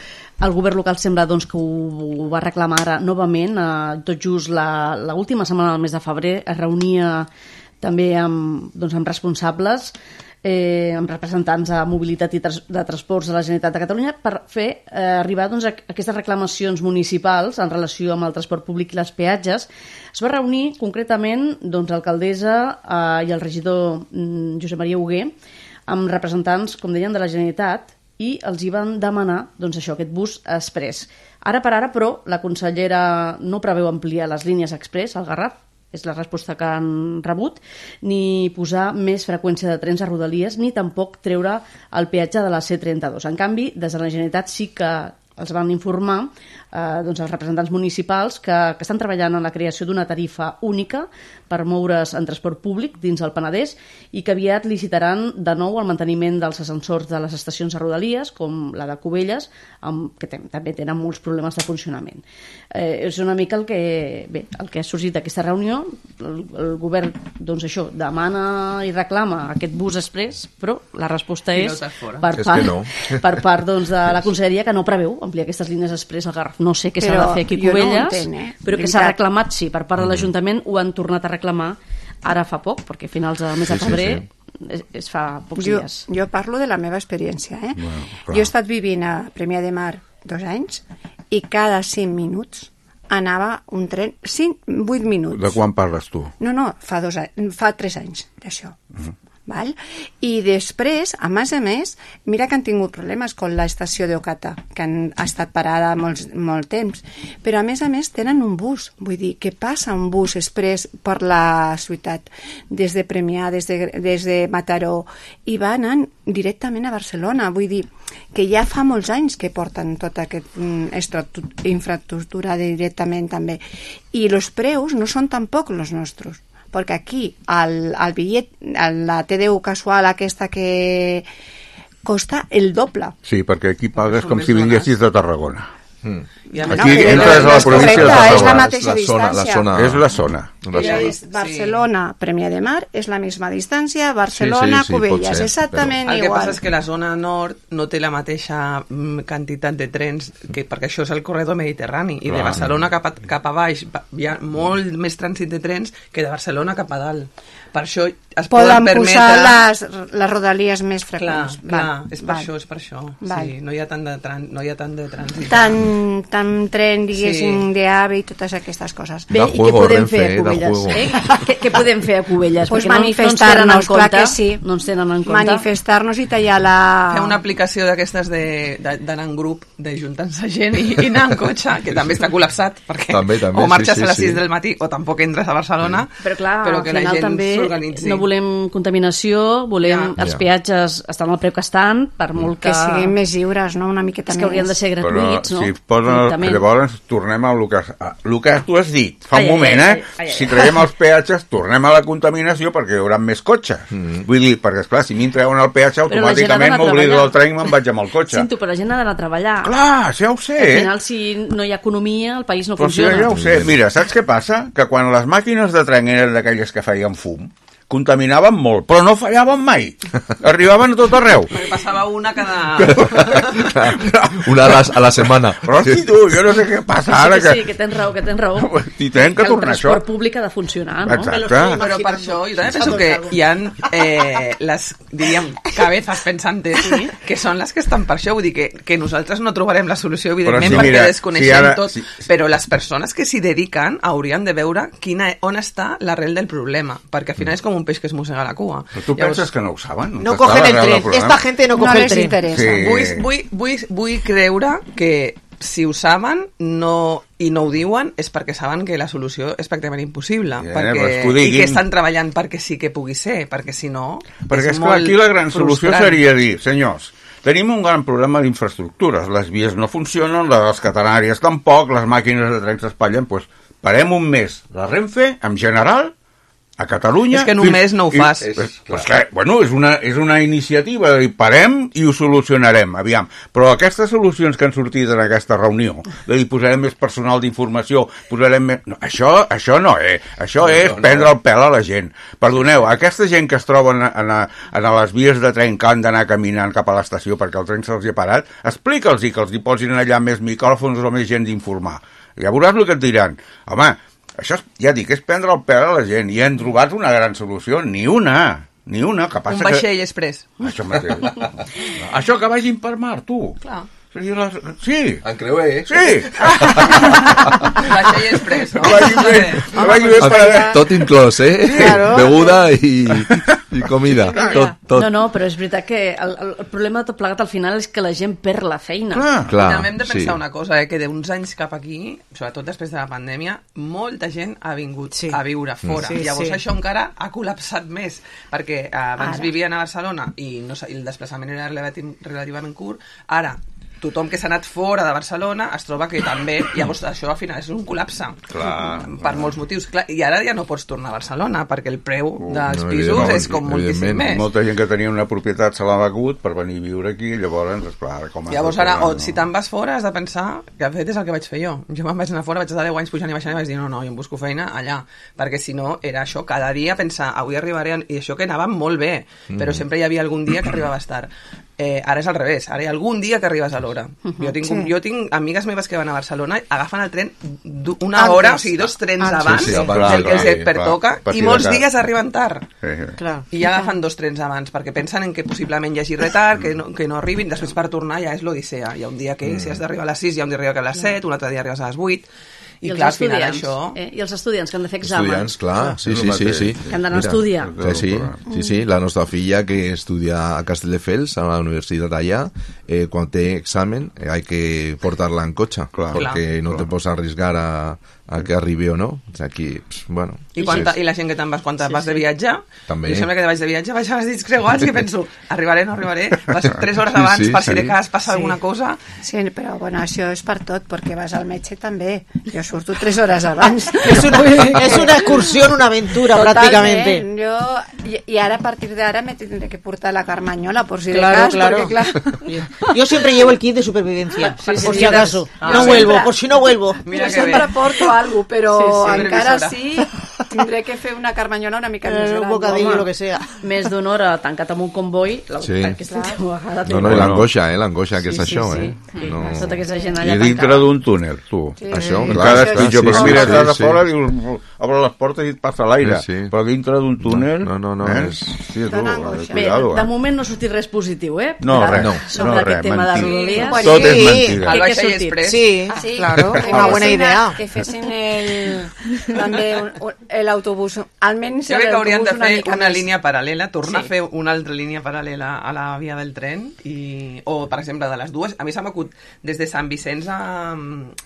El govern local sembla doncs, que ho, ho va reclamar ara novament, eh, tot just l'última setmana del mes de febrer es reunia també amb, doncs, amb responsables, eh, amb representants de mobilitat i tras de transports de la Generalitat de Catalunya per fer eh, arribar doncs, a aquestes reclamacions municipals en relació amb el transport públic i les peatges. Es va reunir concretament doncs, l'alcaldessa eh, i el regidor mm, Josep Maria Hugué amb representants, com deien, de la Generalitat, i els hi van demanar doncs, això, aquest bus express. Ara per ara, però, la consellera no preveu ampliar les línies express al Garraf, és la resposta que han rebut, ni posar més freqüència de trens a Rodalies, ni tampoc treure el peatge de la C trenta-dos. En canvi, des de la Generalitat sí que els van informar eh, doncs els representants municipals que, que estan treballant en la creació d'una tarifa única per moure's en transport públic dins el Penedès i que aviat licitaran de nou el manteniment dels ascensors de les estacions de Rodalies, com la de Cubelles, amb, que també tenen molts problemes de funcionament. Eh, és una mica el que, bé, el que ha sorgit d'aquesta reunió. El, el govern doncs això, demana i reclama aquest bus express, però la resposta és, no per part, és no. per part doncs, de la conselleria que no preveu ampliar aquestes línies express al Garraf. No sé què s'ha de fer aquí a Cubelles, no entenc, eh? Però que s'ha reclamat, sí, per part de l'Ajuntament ho han tornat a reclamar ara fa poc, perquè a finals del mes de febrer sí, sí, sí. Es, es fa pocs jo, dies. Jo parlo de la meva experiència. Eh? Bueno, jo he estat vivint a Premià de Mar dos anys i cada cinc minuts anava un tren, cinc, vuit minuts. De quan parles tu? No, no, fa, dos anys, fa tres anys d'això. Uh-huh. Val? I després, a més a més, mira que han tingut problemes amb l'estació d'Ocata, que han estat parada molt, molt temps, però a més a més tenen un bus, vull dir, que passa un bus express per la ciutat, des de Premià, des de, des de Mataró, i va anant directament a Barcelona, vull dir, que ja fa molts anys que porten tota aquesta infraestructura directament també, i els preus no són tampoc els nostres, perquè aquí el, el bitllet, la T D U casual aquesta que costa el doble. Sí, perquè aquí pagues com si vinguessis de Tarragona. Mm. Bueno, aquí entres a la província de Tarragona. És la mateixa la zona, distància. La zona, és la zona. La zona. És Barcelona, Premià de Mar, és la misma distància, Barcelona, sí, sí, sí, Cubelles, ser, exactament però... igual. El que passa és que la zona nord no té la mateixa quantitat de trens, que, perquè això és el corredor mediterrani, i de Barcelona cap a, cap a baix hi ha molt més trànsit de trens que de Barcelona cap a dalt. Per això es poden, poden permetre... posar les, les rodalies més freqüents. Clar, clar, és per val. això, és per això. Sí, no hi ha tant de, tran... no hi ha tant de trànsit. Tant tant, tant tren, diguéssim, sí. d'AVE i totes aquestes coses. Bé, i què podem fer a Cubelles? Eh? Què, què podem fer a Cubelles? Pues Perquè manifestar-nos, no, no clar que sí. No ens tenen en compte. Manifestar-nos i tallar la... Fer una aplicació d'aquestes d'anar en grup, de juntar-se gent i, i anar en cotxe, que també està col·lapsat, perquè també, també, o marxes sí, sí, a les sis sí. del matí o tampoc entres a Barcelona, sí. Però clar, però que al final la gent també s'organitzi. No volem contaminació, volem ja. els peatges estan al preu que estan, per molt que... Que siguin més lliures, no? Una miqueta més. És que haurien de ser gratuïts, però, no? Si poden, llavors tornem a el que, a, el que tu has dit fa ai, un moment, ai, ai, eh? Ai, ai, si traiem els peatges, tornem a la contaminació perquè hi haurà més cotxes. Mm. Vull dir, perquè esclar, si m'hi treuen el peatge, automàticament m'oblido del tren i me'n vaig amb el cotxe. Sento, però la gent ha d'anar a treballar. Clar, ja ho sé. Al final, si no hi ha economia, el país no però funciona. Sí, ja ho sé. Mira, saps què passa? Que quan les màquines de tren eren d'aquelles que feien fum, contaminaven molt, però no fallaven mai. Arribaven a tot arreu. Perquè passava una cada... una a la, a la setmana. Però sí, tu, jo no sé què passa ara. Sí, que, sí, que tens raó, que tens raó. I tenen que, que tornar això. El transport públic ha de funcionar, no? Exacte. Però per això, jo també penso que hi ha eh, les, diríem, cabezas pensantes, sí, que són les que estan per això. Vull dir que, que nosaltres no trobarem la solució, evidentment, sí, perquè mira, desconeixem si ara, tot, sí, sí. Però les persones que s'hi dediquen haurien de veure quina, on està l'arrel del problema, perquè al final és com un peix que es mossega la cua. Però tu Llavors, penses que no ho saben? No, no cogen el tren. Esta gente no coge no el tren. Interessa. Sí. Vull, vull, vull, vull creure que si ho saben no, i no ho diuen és perquè saben que la solució és pràcticament impossible, yeah, perquè, que i que estan treballant perquè sí que pugui ser, perquè si no perquè és, és molt aquí la gran solució frustrant. Seria dir, senyors, tenim un gran problema d'infraestructures, les vies no funcionen, les catenàries tampoc, les màquines de tren s'espatllen, doncs parem un mes la Renfe, en general, a Catalunya... És que en un mes no ho fas. I, és, pues, clar, bueno, és una, és una iniciativa, i parem i ho solucionarem, aviam. Però aquestes solucions que han sortit en aquesta reunió, de dir, posarem més personal d'informació, posarem més... No, això, això no, eh? Això no, és no, prendre no. el pèl a la gent. Perdoneu, aquesta gent que es troben a, a, a les vies de tren que han d'anar caminant cap a l'estació perquè el tren se'ls hi ha parat, explica'ls que els hi posin allà més micròfons o més gent d'informar. Ja veuràs el que et diran. Home, això, ja dic, és prendre el pèl a la gent i hem trobat una gran solució, ni una, ni una. Que passa un vaixell que... express. Això mateix. Això que vagin per mar, tu. Clar. Sí. En creuer, eh? Sí. Vaixell express, no? Vagi bé, vagi bé per... Tot inclòs, eh? Sí, claro. Beguda i, i comida. Tot, tot. No, no, però és veritat que el, el problema de tot plegat al final és que la gent perd la feina. Clar, clar. I també hem de pensar sí. una cosa, eh? Que d'uns anys cap aquí, sobretot després de la pandèmia, molta gent ha vingut sí. a viure fora. Sí, Llavors sí. això encara ha col·lapsat més, perquè abans ara. vivien a Barcelona i, no, i el desplaçament era relativament curt. Ara, tothom que s'ha anat fora de Barcelona es troba que també, llavors això al final és un col·lapse. Clar, per clar. molts motius. Clar, i ara ja no pots tornar a Barcelona perquè el preu uh, dels no, pisos no, és com moltíssim més. Molta gent que tenia una propietat se l'ha begut per venir a viure aquí, llavors, esclar, com llavors ara, o si te'n vas fora has de pensar que de fet és el que vaig fer jo. Jo me'n vaig anar fora, vaig estar deu anys pujant i baixant i vaig dir no, no, jo em busco feina allà, perquè si no era això, cada dia pensar, avui arribaré, i això que anava molt bé, mm. però sempre hi havia algun dia que arribaves tard. Eh, ara és al revés, ara hi ha algun dia que arribes a l'hora. Uh-huh. Jo, tinc, sí. jo tinc amigues meves que van a Barcelona, agafen el tren una Antes. hora, o sigui, dos trens Antes. abans, sí, sí, abans del que els sí, pertoca, i molts dies arriben tard. Sí, sí. Clar. I ja agafen dos trens abans, perquè pensen en que possiblement hi hagi retard, que no, que no arribin, després per tornar ja és l'odissea. Hi ha un dia que mm. si has d'arribar a les sis, hi ha un dia que arriba a les set, un altre dia arribes a les vuit, i, I clar, al final això... Eh? I els estudiants que han de fer exàmens. Estudiants, clar, sí, sí, sí, sí. Que han d'anar a estudiar. Sí, sí, sí, sí, la nostra filla que estudia a Castelldefels, a la universitat allà, eh, quan té examen, eh, hay que portarla en cotxe, clar, perquè clar, no clar. te pots arriesgar a, a que arribi o no. Aquí, pss, bueno... I, quanta, sí. I la gent que te'n vas, quan sí, vas de viatge, també. Jo sempre que vaig de viatge vaig amb els dits creuats i penso, arribaré, no arribaré, vas tres hores abans sí, sí, per si sí. de cas passa sí. alguna cosa. Sí, però bueno, això és per tot, perquè vas al metge també. Jo surto tres hores abans. És una, és una excursió, una aventura, pràcticamente. Jo, i, I ara, a partir d'ara, me tindré que portar la carmanyola, por si claro, de cas, claro. porque claro... Yo siempre llevo el kit de supervivencia, sí, sí, por sí, si acaso. Ah, no sí, vuelvo, sempre, por si no vuelvo. Mira jo sempre bé. porto algo, però sí, sí, encara sí... Tindré que fer una carmanyola una mica més Eh, gran. un bocadillo, Home, lo que sea. Més d'una hora tancat amb un comboi, la, Sí. aquesta última vegada... No, no, i l'angoixa, eh? L'angoixa que és Sí, sí, això, sí. eh? No... Tota aquesta gent I allà dintre tancada. d'un túnel, tu. Sí. Això, I clar, cada clar, pitjor, sí, perquè sí, mira, sí, estàs a sí. fora, dius, obre les portes i et passa l'aire. Sí, sí. Però dintre d'un túnel... No, no, no, eh? és- Sí, tu, Dona eh, angoixa. Bé, cuidado, de eh? moment no ha sortit res positiu, eh? No, De- res, no, sobre no, aquest res, tema de mentida. Rodalies. Pues Tot sí. és mentida. Què, què ha Baixa i sortit? Express. Sí, Ah, sí? claro, Que una buena fessin- idea. Que fessin el, també un- un- l'autobús, almenys Jo crec que haurien de l'autobús fer mica una més. línia paral·lela, tornar Sí. a fer una altra línia paral·lela a la via del tren, i, o, per exemple, de les dues. A mi s'ha m'acut des de Sant Vicenç a,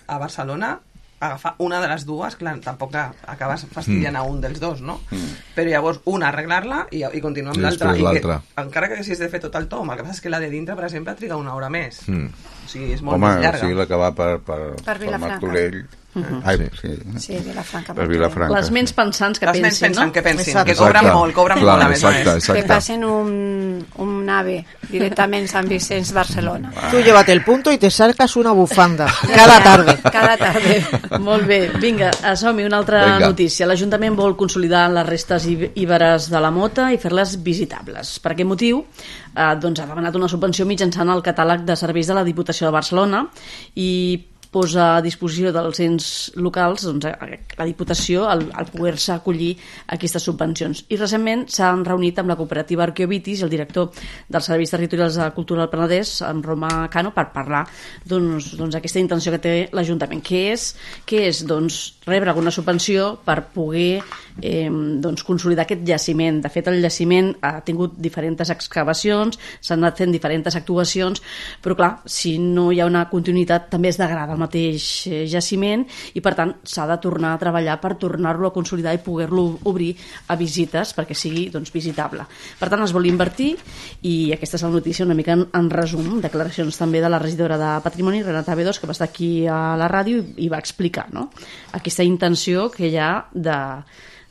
a Barcelona, agafar una de les dues, clar, tampoc acabes fastidiant a un dels dos, no? Mm. Però llavors una arreglar-la i, i continuar amb I l'altra. després I que, l'altra. encara que haguessis de fer tot el tom, el que passa és que la de dintre, per exemple, triga una hora més. Mm. O sigui, és molt Home, més llarga. sí, la que va per, per, Per per Vilafranca. Martorell. Mhm. Ai, Sí. sí. Sí, Vilafranca. Per Vilafranca. Les ments pensants que Les ments pensin, pensen no? que pensin, Exacte. que cobren Exacte. molt, cobren Clar, molt, a més a exacte, més. exacte. Que passen un, un nave directament Sant Vicenç, Barcelona. Tú llévate el punto y te sacas una bufanda cada tarde. Cada tarde. Molt bé, vinga, som-hi, una altra Vinga. notícia. L'Ajuntament vol consolidar les restes í- íberes de la mota i fer-les visitables. Per aquest motiu, eh, doncs ha demanat una subvenció mitjançant el catàleg de serveis de la Diputació de Barcelona i posa a disposició dels ens locals, doncs, a la Diputació, el, el poder-se acollir aquestes subvencions. I recentment s'han reunit amb la cooperativa Arqueovitis i el director dels Serveis Territorials de Cultura del Penedès, en Roma Cano, per parlar doncs, doncs, aquesta intenció que té l'Ajuntament. Què és? Què és? Doncs rebre alguna subvenció per poder eh, doncs, consolidar aquest jaciment. De fet, el jaciment ha tingut diferents excavacions, s'han anat fent diferents actuacions, però clar, si no hi ha una continuïtat també es degrada el mateix eh, jaciment i per tant s'ha de tornar a treballar per tornar-lo a consolidar i poder-lo obrir a visites perquè sigui doncs, visitable. Per tant, es vol invertir i aquesta és la notícia una mica en, en resum, declaracions també de la regidora de Patrimoni, Renata Bedos, que va estar aquí a la ràdio i, i va explicar, no?, aquesta intenció que hi ha de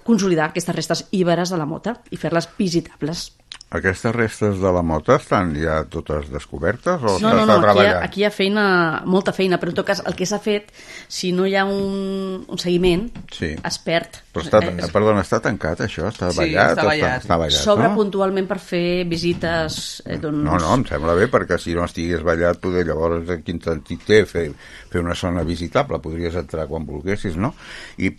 consolidar aquestes restes íberes de la mota i fer-les visitables. Aquestes restes de la mota estan ja totes descobertes o No, no, s'està no, aquí hi, ha, treballant? aquí hi ha feina, molta feina, però en tot cas el que s'ha fet, si no hi ha un, un seguiment, Sí. es perd. Però està, Eh, perdona, està tancat això? Està Sí, ballat? està o ballat. Està ballat, S'obre no? puntualment per fer visites eh, doncs... No, no, em sembla bé, perquè si no estigués ballat, poder llavors en quin sentit té fer, fer una zona visitable, podries entrar quan volguessis, no? I,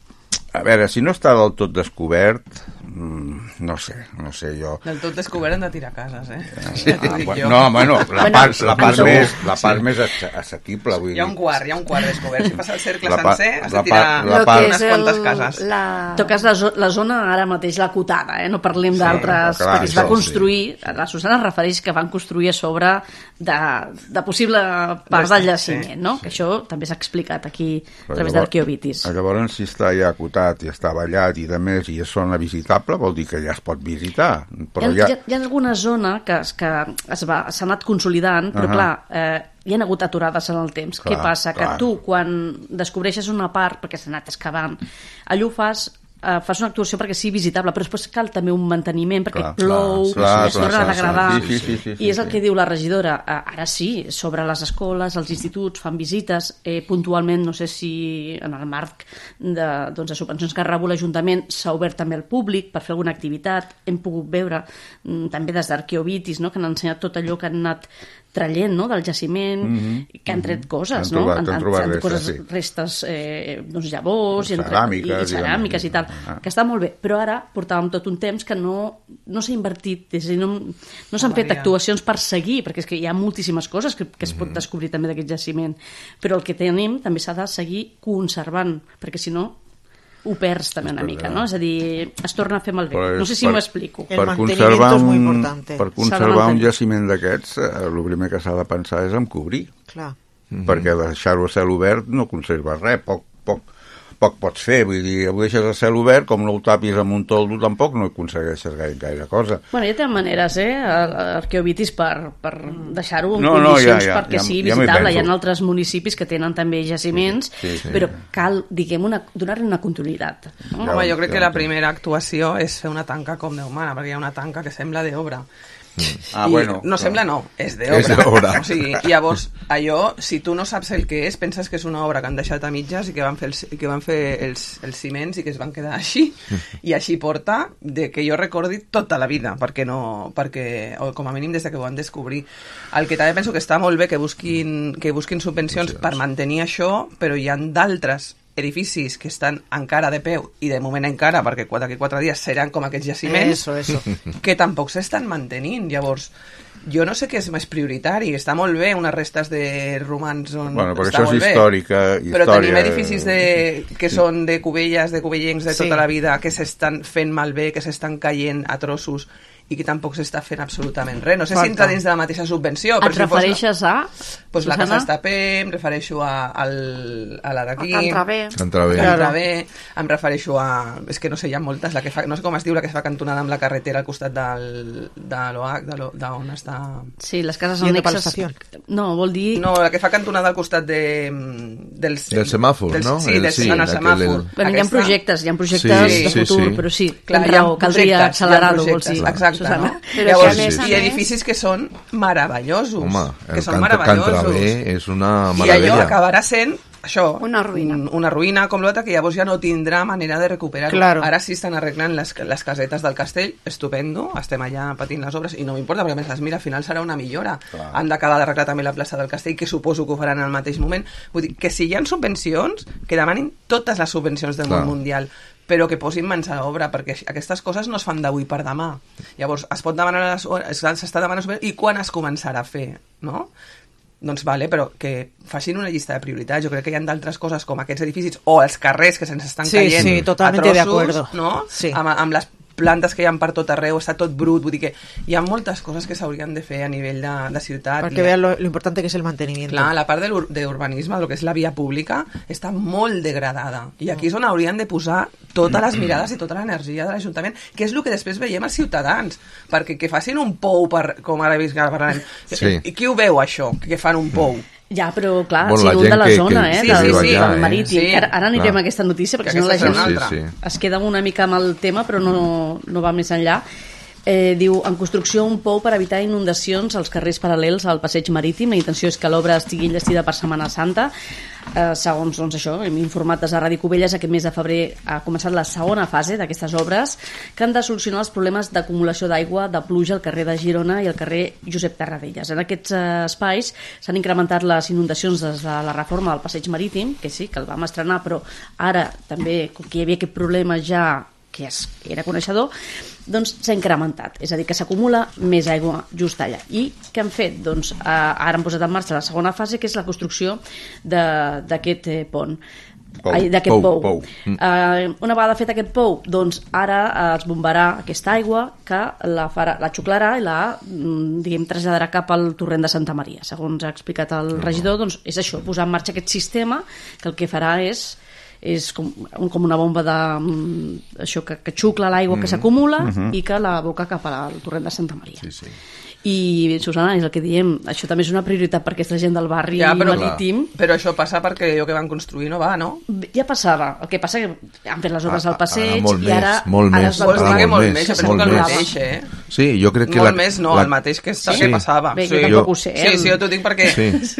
a veure, si no està del tot descobert, mmm, no sé, no sé, jo... Del tot descobert hem de tirar cases, eh? Ah, Ja t'ho dic bueno, jo. no, bueno, la Bueno, part, la part, segur. més, la part Sí. més assa- assequible, vull Hi ha un dir. quart, hi ha un quart descobert. Si passa el cercle La pa- sencer, has la de tirar pa- la Lo part- que unes és quantes el, cases. la... En tot cas, la, zo la zona ara mateix, l'acotada, eh? No parlem Sí, d'altres, clar, perquè es va això, construir, la Susana es refereix que van construir a sobre de, de possible part del jaciment, Sí, no? Que això també s'ha explicat aquí a Però través llavors- d'Arqueovitis. Llavors, si està ja acotat i està ballat i de més i és zona visitable, vol dir que ja es pot visitar. Però hi, ha, ja... hi, ha, hi ha alguna zona que, es- que es va, s'ha anat consolidant, però Ahà. clar, eh, hi ha hagut aturades en el temps. Clar, Què passa? clar. Que tu, quan descobreixes una part, perquè s'ha anat excavant, allò ho fas eh, fas una actuació perquè sigui visitable, però després cal també un manteniment perquè Clar, plou, clar, es clar, torna a clar, degradar, sí, sí, sí, sí, sí, i és el sí. que diu la regidora. Eh, ara sí, sobre les escoles, els instituts fan visites, eh, puntualment, no sé si en el marc de, doncs, de subvencions que rebu l'Ajuntament s'ha obert també al públic per fer alguna activitat. Hem pogut veure mm, també des d'Arqueovitis, no?, que han ensenyat tot allò que han anat traient, no?, del jaciment, Mhm, que han tret coses, Han no? trobat- Han, han han, trobat han, restes, coses, sí. restes, eh, doncs llavors, i, han tret- Ceràmiques, i, i ceràmiques i tal, Ah. que està molt bé, però ara portàvem tot un temps que no, no s'ha invertit, és a dir, no, no s'han fet Maria. actuacions per seguir, perquè és que hi ha moltíssimes coses que, que es pot descobrir també d'aquest jaciment, però el que tenim també s'ha de seguir conservant, perquè si no ho perds també una mica, no? És a dir, es torna a fer malbé. Però No és sé si per- m'ho explico. El per mantenimiento conservar es muy un, importante. per S'ha de conservar un mantenir. jaciment d'aquests, eh, el primer que s'ha de pensar és en cobrir, Clar. perquè deixar-ho a cel obert no conserva res, poc, poc, poc pots fer, vull dir, ho deixes a cel obert, com no ho tapis amb un toldo tampoc no aconsegueixes gaire, gaire cosa. Bueno, ja tenen maneres, eh, Arqueovitis, per, per deixar-ho en No, no, condicions ja, ja, perquè ja- sigui ja m'hi visitable. Hi penso. ha altres municipis que tenen també jaciments, Sí, sí, sí. però cal, diguem, una, donar-li una continuïtat. No? Ja Home, ho- jo crec ja que ho la entenc. primera actuació és fer una tanca com Déu mana, perquè hi ha una tanca que sembla d'obra. Ah, bueno. No sembla, no, és d'obra. O sigui, llavors, allò, si tu no saps el que és, penses que és una obra que han deixat a mitges i que van fer els, que van fer els, els ciments i que es van quedar així, i així porta de que jo recordi tota la vida, perquè no, perquè, o com a mínim des que ho van descobrir. El que també penso que està molt bé que busquin, que busquin subvencions per mantenir això, però hi ha d'altres edificis que estan encara de peu i de moment encara, perquè d'aquí quatre dies seran com aquests jaciments, eso, eso. que tampoc s'estan mantenint. Llavors, jo no sé què és més prioritari. Està molt bé unes restes de romans on bueno, però està això molt és històrica, bé, però història... tenim edificis de, que són de Cubelles, de cuvellencs de tota Sí. la vida, que s'estan fent malbé, que s'estan caient a trossos i que tampoc s'està fent absolutament res. No sé Falta. si entra dins de la mateixa subvenció. Et però si refereixes fos, a... Pues la Susana? Casa Estapé, em refereixo a, al, a la d'aquí. A Can Travé. Can Travé. Can Travé, em refereixo a... És que no sé, hi ha moltes. La que fa, no sé com es diu, la que es fa cantonada amb la carretera al costat del, de l'O H, de l'O- d'on està... Sí, les cases Yendo per annexes... l'estació. No, vol dir... No, la que fa cantonada al costat de, dels... Del semàfor, dels, no? Sí, El- del, sí, en el aquell- semàfor. el- Bueno, hi ha Aquesta- projectes, hi ha projectes Sí, de sí, futur, sí. però sí, Clar, tens hi ha raó, caldria projectes, hi ha accelerar-ho, vols projectes, dir. exacte, Susana? no? Però Llavors, que a més a i més- edificis que són meravellosos. Home, que el són Can, Can meravellosos. Travé és una I allò meravella. acabarà sent això, Una ruïna. un- una ruïna com l'altra que llavors ja no tindrà manera de recuperar-ho. Claro. Ara sí estan arreglant les, les casetes del castell, estupendo, estem allà patint les obres i no m'importa perquè a més les mira, al final serà una millora. Clar. Han d'acabar d'arreglar també la plaça del castell, que suposo que ho faran al mateix moment. Vull dir, que si hi ha subvencions, que demanin totes les subvencions del Clar. món mundial, però que posin mans a l'obra, perquè aquestes coses no es fan d'avui per demà. Llavors, es pot demanar, les, s'està demanant subvencions, i quan es començarà a fer, no? Doncs vale, però que facin una llista de prioritats. Jo crec que hi ha d'altres coses com aquests edificis o els carrers que se'ns estan Sí, caient sí, totalmente a de trossos, acuerdo. no? Sí. Amb, amb les plantes que hi ha per tot arreu, està tot brut, vull dir que hi ha moltes coses que s'haurien de fer a nivell de, de ciutat. Para que vean lo, lo importante que es el mantenimiento. Clar, la part de l'ur- de urbanisme, del que és la via pública, està molt degradada. I aquí és on haurien de posar totes les mirades i tota l'energia de l'Ajuntament, que és el que després veiem als ciutadans. Perquè que facin un pou, per, com ara he vist que ara parlarem, Sí. i qui ho veu, això, que fan un pou? Ja, però clar, Bueno, si la no gent de la que- zona, que- eh, sí, del, sí, sí, del eh? marítim. Sí, Que ara, ara anirem clar. a aquesta notícia, perquè Que si no la aquesta gent serà una Sí, altra. sí. es queda una mica amb el tema, però no, no va més enllà. Eh, diu, en construcció un pou per evitar inundacions als carrers paral·lels al passeig marítim. La intenció és que l'obra estigui enllestida per Setmana Santa. Eh, segons doncs, això, hem informat des de Ràdio Cubelles, aquest mes de febrer ha començat la segona fase d'aquestes obres que han de solucionar els problemes d'acumulació d'aigua de pluja al carrer de Girona i al carrer Josep Tarradellas. En aquests eh, espais s'han incrementat les inundacions des de la reforma del passeig marítim, que sí, que el vam estrenar, però ara també, com que hi havia aquest problema ja que es, era coneixedor, doncs s'ha incrementat, és a dir, que s'acumula més aigua just allà. I què han fet? Doncs eh, ara han posat en marxa la segona fase, que és la construcció de- d'aquest eh, pont. Pou, Ai, d'aquest pou, pou. pou. Mm. Uh, una vegada fet aquest pou, doncs ara uh, es bombarà aquesta aigua que la, farà, la xuclarà i la mm, diguem, traslladarà cap al torrent de Santa Maria. Segons ha explicat el regidor, doncs és això, posar en marxa aquest sistema que el que farà és és com, com una bomba de mm, això que, que xucla l'aigua mm. que s'acumula mm -hmm. i que la boca cap al torrent de Santa Maria. Sí, sí. I, Susana, és el que diem, això també és una prioritat per aquesta gent del barri Ja, però, marítim. però això passa perquè allò que van construir no va, no? Ja passava, el que passa que han fet les obres Ah, al passeig ara molt i ara, més, molt ara més, es va Vols ara dir que molt molt més, més, jo penso molt que el més. mateix, eh? Sí, jo crec que Molt la, més, no, la, el mateix que, sí? Sí. que passava. Bé, sí. jo tampoc ho sé. Sí, sí, jo t'ho dic perquè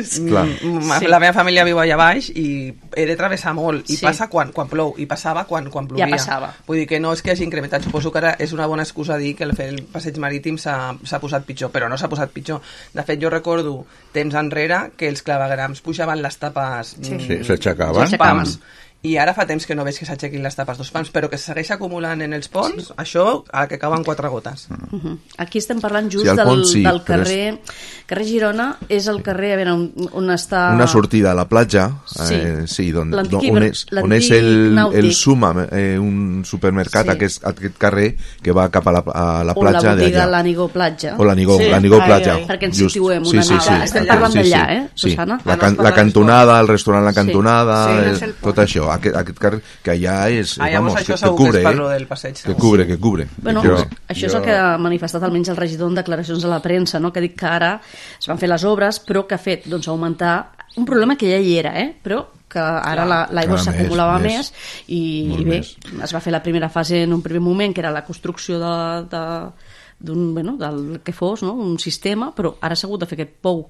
Sí, clar. mm, Sí. la meva família viu allà baix i he de travessar molt, i Sí. passa quan, quan plou, i passava quan, quan plovia. Ja passava. Vull dir que no és que hagi incrementat, suposo que ara és una bona excusa dir que el fer el passeig marítim s'ha s'ha posat pitjor, però no s'ha posat pitjor. De fet, jo recordo temps enrere que els clavegrams pujaven les tapes Sí. mm, Sí, s'aixecaven. dos S'aixecaven. pams. I ara fa temps que no veig que s'aixequin les tapes dos pams, però que se segueix acumulant en els ponts, sí. Això, a que cauen quatre gotes. Uh -huh. Aquí estem parlant just Sí, al del, pont sí, del però carrer... Carrer Girona és el carrer, a veure, on, on està... Una sortida a la platja, Sí. eh, sí, don, L'antic don, on, és, on és l'antic el, nàutic. el Suma, eh, un supermercat, Sí. aquest, aquest carrer que va cap a la, a la o la platja botiga d'allà. l'Anigó Platja. O l'Anigó, Sí. l'Anigó Ai, Platja. ai. Perquè ens Just. situem Sí, una sí, nova. sí. Estem Sí, parlant sí, d'allà, sí. eh, Sí. Susana? La, Ah, no, can, es la parla cantonada, el restaurant La Sí. Cantonada, Sí, el, és el tot pont. això, aquest, aquest carrer que allà és, Ah, eh, llavors vamos, això que, que segur que és cubre, per lo eh? del passeig. Que cubre, que cubre. Bueno, que Jo- cubre. això és jo- el que ha manifestat almenys el regidor en declaracions a la premsa, no? Que ha dit que ara es van fer les obres, però que ha fet doncs, augmentar un problema que ja hi era, eh? Però que ara la- l'aigua Clar, s'acumulava més, més, i, Molt i bé, més. es va fer la primera fase en un primer moment, que era la construcció de, de, d'un, bueno, del que fos, no? Un sistema, però ara s'ha hagut de fer aquest pou,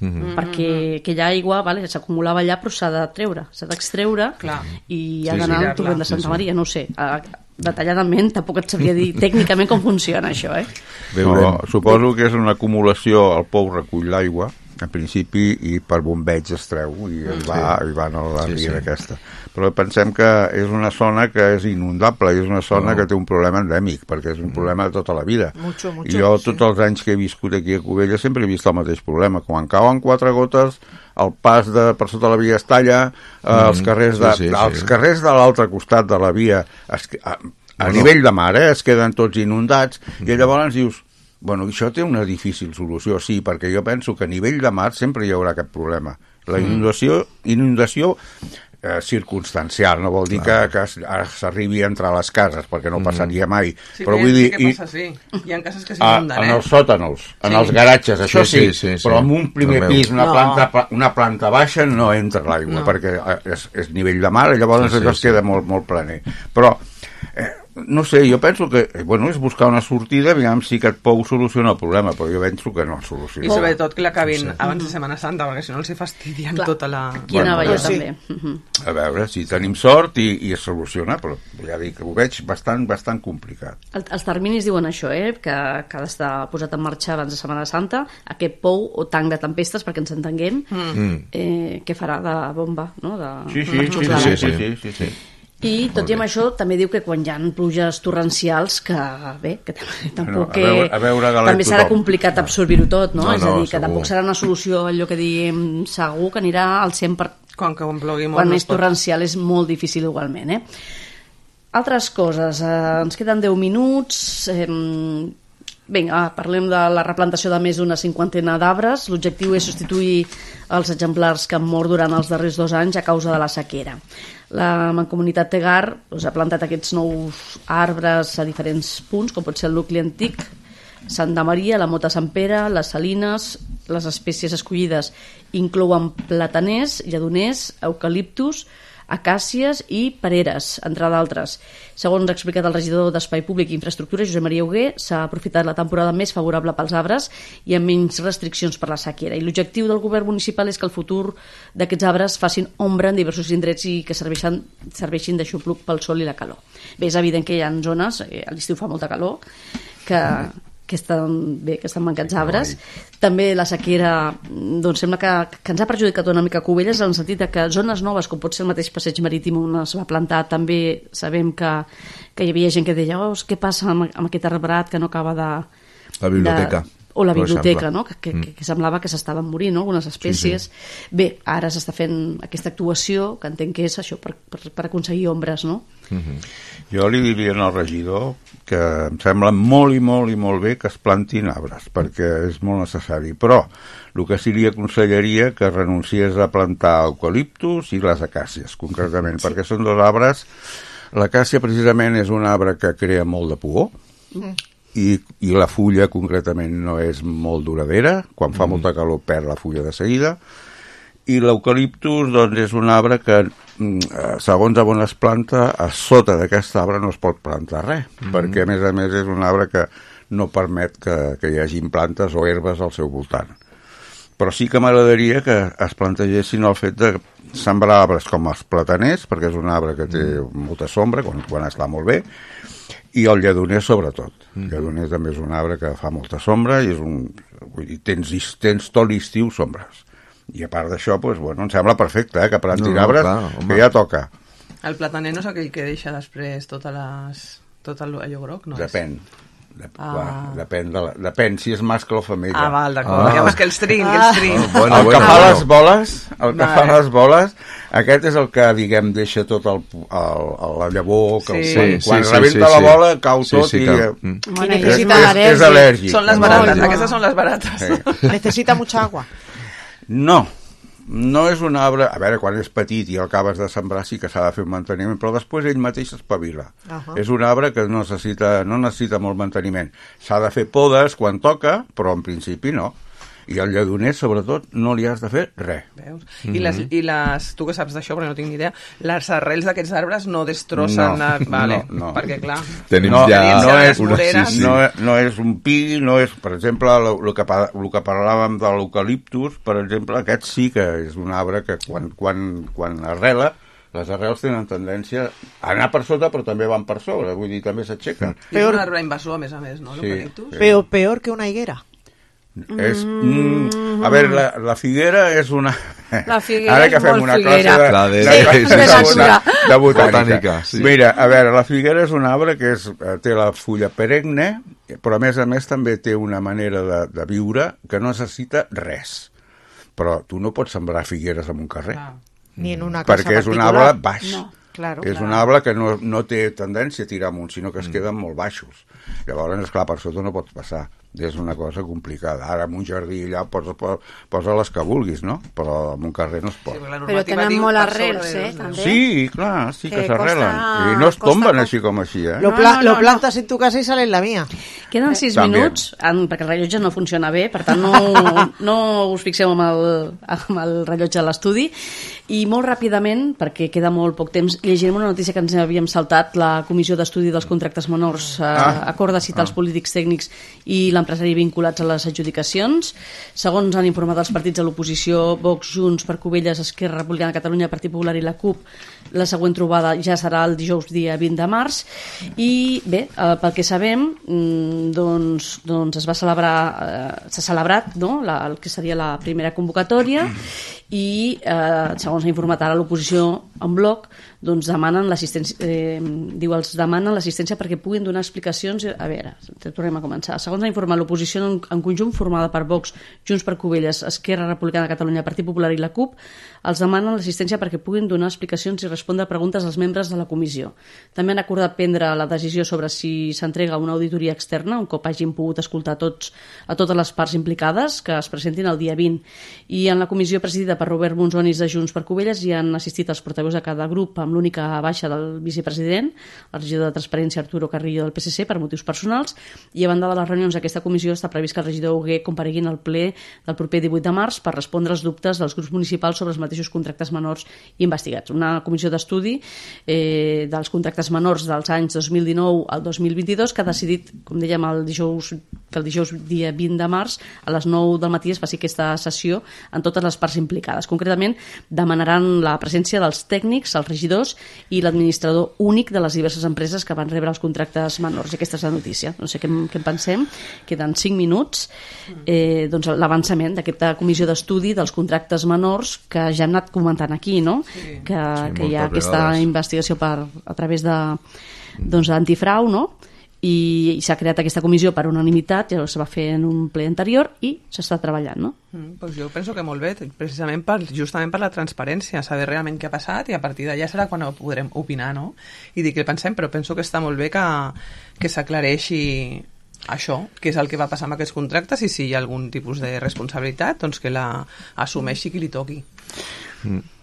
mm-hmm. perquè aquella aigua vale, s'acumulava allà, però s'ha de treure, s'ha d'extreure i ha Sí, d'anar sí. al torrent de Santa Sí, sí. Maria, no ho sé. Detalladament tampoc et sabria dir tècnicament com funciona això, eh? No, suposo que és una acumulació, el pou recull l'aigua, en principi, i per bombeig es treu i es va, i va a la Sí, ria sí. aquesta. Però pensem que és una zona que és inundable i és una zona No. que té un problema endèmic, perquè és un problema de tota la vida. Mucho, mucho, I jo, sí. tots els anys que he viscut aquí a Cubelles, sempre he vist el mateix problema. Quan cauen quatre gotes, el pas de, per sota la via es talla, eh, els carrers de, sí, sí, sí. els carrers de l'altre costat de la via, es, a, a Bueno. nivell de mar, eh, es queden tots inundats, i llavors dius, bueno, això té una difícil solució, sí, perquè jo penso que a nivell de mar sempre hi haurà aquest problema. La inundació, inundació eh, circumstancial, no vol dir que, que es- ara s'arribi a entrar a les cases, perquè no passaria mai. Sí, però que vull sí dir, que i- passa, sí. Hi ha cases que a, s'inunden, en eh? els sòtanos, en Sí. els garatges, això Sí, sí, sí, sí, sí. però en un primer També. pis, una, No. planta, una planta baixa, no entra l'aigua, No. perquè eh, és, és nivell de mar, i llavors Sí, sí, allò es sí. queda molt, molt planer. Però, eh, no sé, jo penso que, eh, bueno, és buscar una sortida, aviam si aquest pou soluciona el problema, però jo penso que no el I soluciona. sobretot que l'acabin abans de Setmana Santa, perquè si no els hi fastidien Clar. tota la... Qui anava Bueno, allà sí. també. Mhm. A veure, si tenim sort i, i es soluciona, però ja dic que ho veig bastant, bastant complicat. El, els terminis diuen això, eh? que, que ha d'estar posat en marxa abans de Setmana Santa, aquest pou o tanc de tempestes, perquè ens entenguem, Mm. eh, que farà de bomba, no? De, Sí, sí, de sí, xuclar. sí, sí, sí, sí, sí. I tot i amb això també diu que quan hi ha pluges torrencials que bé, que tam- tampoc a veure- a veure galet també serà tothom. complicat absorbir-ho tot, no? No, És a no, dir, que segur. tampoc serà una solució allò que diem segur que anirà al cent per cent. Quan que en plogui molt Quan no és es pot. torrencial és molt difícil igualment, eh? Altres coses, eh, ens queden deu minuts, eh, vinga, parlem de la replantació de més d'una cinquantena d'arbres. L'objectiu és substituir els exemplars que han mort durant els darrers dos anys a causa de la sequera. La Mancomunitat Tegar doncs, ha plantat aquests nous arbres a diferents punts, com pot ser el nucli antic, Santa Maria, la Mota Sant Pere, les Salines. Les espècies escollides inclouen plataners, lledoners, eucaliptus, acàcies i pereres, entre d'altres. Segons ha explicat el regidor d'Espai Públic i Infraestructura, Josep Maria Hugué, s'ha aprofitat la temporada més favorable pels arbres i amb menys restriccions per la sequera. I l'objectiu del govern municipal és que el futur d'aquests arbres facin ombra en diversos indrets i que serveixin, serveixin d'aixopluc pel sol i la calor. Bé, és evident que hi ha zones, eh, a l'estiu fa molta calor, que... que estan, bé, que estan mancats arbres. També la sequera doncs sembla que, que ens ha perjudicat una mica a Cubelles en el sentit de que zones noves, com pot ser el mateix passeig marítim on es va plantar, també sabem que, que hi havia gent que deia oh, què passa amb, amb aquest arbrat que no acaba de... La biblioteca. De, o la per biblioteca, exemple. no? que, que, Mm. que, que semblava que s'estaven morint, no? Algunes espècies. Sí, sí. Bé, ara s'està fent aquesta actuació, que entenc que és això, per, per, per aconseguir ombres, no? Mhm. Jo li diria al regidor que em sembla molt i molt i molt bé que es plantin arbres, perquè és molt necessari, però el que sí li aconsellaria que renunciés a plantar eucaliptus i les acàcies, concretament, sí. perquè són dos arbres. L'acàcia precisament és un arbre que crea molt de pugó, mm. i, i la fulla concretament no és molt duradera, quan fa mm. molta calor perd la fulla de seguida, i l'eucaliptus doncs, és un arbre que, segons on es planta, a sota d'aquest arbre no es pot plantar res, mm. perquè a més a més és un arbre que no permet que, que hi hagin plantes o herbes al seu voltant. Però sí que m'agradaria que es plantegessin el fet de sembrar arbres com els plataners, perquè és un arbre que té molta sombra quan, quan està molt bé, i el lledoner sobretot. El lledoner també és un arbre que fa molta sombra i és un, vull dir, tens, tens tot l'estiu sombres. I a part d'això, doncs, bueno, em sembla perfecte, eh, que plantin No, no, arbres, clar, home. que ja toca. El plataner no és aquell que deixa després totes les... tot el, allò groc, no? Depèn. Dep Ah. va, depèn, de la, depèn si és mascle o femella. Ah, val, d'acord. Ah. Llavors que els trin, que els trin. Ah, bueno, el que bueno, fa bueno. les boles, el que Vale. fa les boles, aquest és el que, diguem, deixa tot el, el, el la llavor, que Sí, el, sí, quan sí, rebenta sí, la sí. bola cau Sí, tot sí, i... que- eh, mm. Y és, necesita és, és al·lèrgic. Són les No, barates, no. aquestes són les barates. Sí. Necesita mucha agua. No, no és un arbre... A veure, quan és petit i el acabes de sembrar sí que s'ha de fer un manteniment, però després ell mateix s'espavila. Ahà. És un arbre que no necessita, no necessita molt manteniment. S'ha de fer podes quan toca, però en principi no. I al lledoner, sobretot, no li has de fer res. Veus? Mm-hmm. I, les, I les, tu que saps d'això, perquè no tinc ni idea, les arrels d'aquests arbres no destrossen... No, la... vale, no, no. Perquè, clar... Tenim no, ja no, és, una, sí, sí, sí. no, no és un pi, no és... Per exemple, el que, el que parlàvem de l'eucaliptus, per exemple, aquest sí que és un arbre que quan, quan, quan arrela, les arrels tenen tendència a anar per sota, però també van per sobre, vull dir, també s'aixequen. És un arbre invasor, a més a més, no? Sí, L'eucaliptus? sí. Peor, peor que una higuera. És, mm, a veure, la, la figuera és una... La figuera Ara que és fem molt una figuera. classe de, La de- de, sí, de, sí, de, sí, sí. de, de botànica. Botànica, sí. Mira, a veure, la figuera és un arbre que és, té la fulla perenne, però a més a més també té una manera de, de viure que no necessita res. Però tu no pots sembrar figueres en un carrer. Ah. Ni en una casa perquè és un particular. arbre baix. No, claro, és claro. un arbre que no, no té tendència a tirar amunt, sinó que es queden molt baixos. Llavors, esclar, per sota no pots passar. És una cosa complicada. Ara, en un jardí allà posa, posa les que vulguis, no? Però en un carrer no es pot. Sí, però tenen molt arrels, eh, també. Sí, clar, sí que, Que s'arrelen. costa- I no es costa tomben poc. així com així, eh? Lo, pla- lo plantas en tu casa y sale en la mía. Queden sis També. minuts, en, perquè el rellotge no funciona bé, per tant no, no us fixeu amb el, amb el rellotge de l'estudi. I molt ràpidament, perquè queda molt poc temps, llegirem una notícia que ens havíem saltat. La Comissió d'Estudi dels Contractes Menors eh, Ah. acorda citar Ah. els polítics tècnics i l'empresari vinculats a les adjudicacions. Segons han informat els partits de l'oposició, Vox, Junts, per Covelles, Esquerra Republicana de Catalunya, Partit Popular i la CUP, la següent trobada ja serà el dijous dia vint de març. I bé, eh, pel que sabem, mm, doncs, doncs es va celebrar, eh, s'ha celebrat, no?, la, el que seria la primera convocatòria, i eh, segons ha informat ara l'oposició en bloc, doncs demanen l'assistència, eh, diu, els demanen l'assistència perquè puguin donar explicacions. A veure, tornem a començar. Segons ha informat l'oposició en, en conjunt, formada per Vox, Junts per Covelles, Esquerra Republicana de Catalunya, Partit Popular i la CUP, els demanen l'assistència perquè puguin donar explicacions i respondre a preguntes als membres de la comissió. També han acordat prendre la decisió sobre si s'entrega una auditoria externa, un cop hagin pogut escoltar tots, a totes les parts implicades, que es presentin el dia vint. I en la comissió presidida per Robert Monzonis de Junts per Covelles hi han assistit els portaveus de cada grup, amb l'única baixa del vicepresident, el regidor de Transparència Arturo Carrillo del P S C, per motius personals, i a banda de les reunions d'aquesta comissió està previst que el regidor Hugué comparegui en el ple del proper divuit de març per respondre als dubtes dels grups municipals sobre els mateixos contractes menors investigats. Una comissió d'estudi eh, dels contractes menors dels anys dos mil dinou al dos mil vint-i-dos que ha decidit, com dèiem, el dijous, que el dijous dia vint de març a les nou del matí es faci aquesta sessió en totes les parts implicades. Concretament, demanaran la presència dels tècnics, els regidors i l'administrador únic de les diverses empreses que van rebre els contractes menors. I aquesta és la notícia. No sé què, què en pensem. Queden cinc minuts. Eh, doncs l'avançament d'aquesta comissió d'estudi dels contractes menors que ja hem anat comentant aquí, no? Sí. Que, sí, que hi ha aquesta vegades. investigació per, a través de doncs, d'antifrau, no? I, i s'ha creat aquesta comissió per unanimitat, ja es va fer en un ple anterior i s'està treballant, no? Mm, pues jo penso que molt bé, precisament per, justament per la transparència, saber realment què ha passat, i a partir d'allà serà quan ho podrem opinar, no? I dir què pensem, però penso que està molt bé que, que s'aclareixi això, que és el que va passar amb aquests contractes, i si hi ha algun tipus de responsabilitat, doncs que la assumeixi qui li toqui.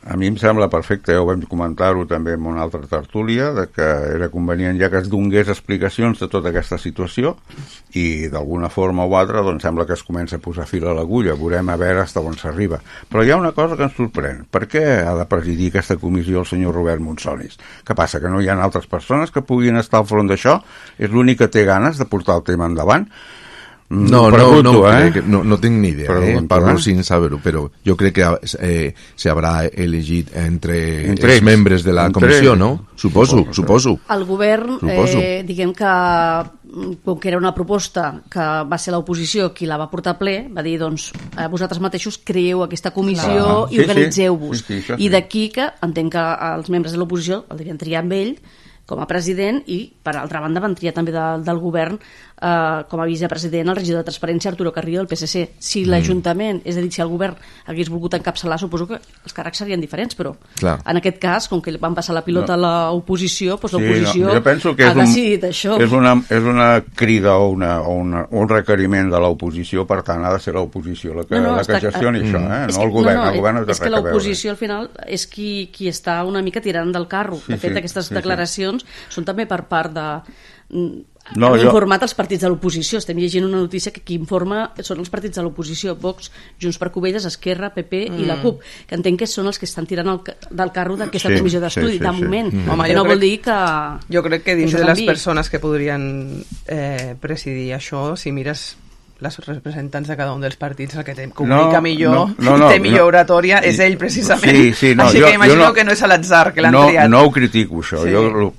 A mi em sembla perfecte, ja ho vam comentar-ho també en una altra tertúlia, de que era convenient ja que es donés explicacions de tota aquesta situació, i d'alguna forma o altra doncs sembla que es comença a posar fil a l'agulla, veurem a veure fins on s'arriba. Però hi ha una cosa que ens sorprèn. Per què ha de presidir aquesta comissió el senyor Robert Monzonis? Què passa, que no hi ha altres persones que puguin estar al front d'això? És l'únic que té ganes de portar el tema endavant? No, pregunto, no, no, eh? que no, no tinc ni idea, pregunto, eh? Parlo eh? sin saber-ho, però jo crec que eh, s'haurà elegit entre, entre els membres de la entre comissió, no? Suposo, suposo. suposo. El govern, suposo. Eh, diguem que, com que era una proposta que va ser l'oposició qui la va portar a ple, va dir, doncs, eh, vosaltres mateixos creeu aquesta comissió Clar. i Sí, organitzeu-vos. sí. Sí, sí, I sí. d'aquí que entenc que els membres de l'oposició el devien triar amb ell com a president, i per altra banda van triar també de, del govern eh, com a vicepresident el regidor de Transparència Arturo Carrillo del P S C. Si mm. l'Ajuntament, és a dir, si el govern hagués volgut encapçalar, suposo que els càrrecs serien diferents, però Clar. en aquest cas, com que van passar la pilota no. a l'oposició, doncs Sí, l'oposició no, jo penso que ha és un, decidit això. És una, és una crida o, una, o una, un requeriment de l'oposició, per tant ha de ser l'oposició la que, No, no, la que està- gestioni mm. això, eh? És no que- el govern. no, no, el govern no té és que res a veure. l'oposició al final és qui, qui està una mica tirant del carro. Sí, De fet, sí, aquestes sí, sí. declaracions són també per part de... No, han jo... informat els partits de l'oposició. Estem llegint una notícia que qui informa són els partits de l'oposició, Vox, Junts per Covelles, Esquerra, P P mm. i la CUP, que entenc que són els que estan tirant el, del carro d'aquesta sí, comissió d'estudi, sí, sí, de moment. Sí. Mm. Home, que no crec, vol dir que... Jo crec que dins de les persones que podrien eh, presidir això, si mires les representants de cada un dels partits, el que té, comunica no, millor, no, no, no, té millor no, oratòria, és ell precisament. Sí, sí, no, Així jo, que imagino jo no, que no és a l'atzar que l'han no, triat. No ho critico, això. Sí. Jo,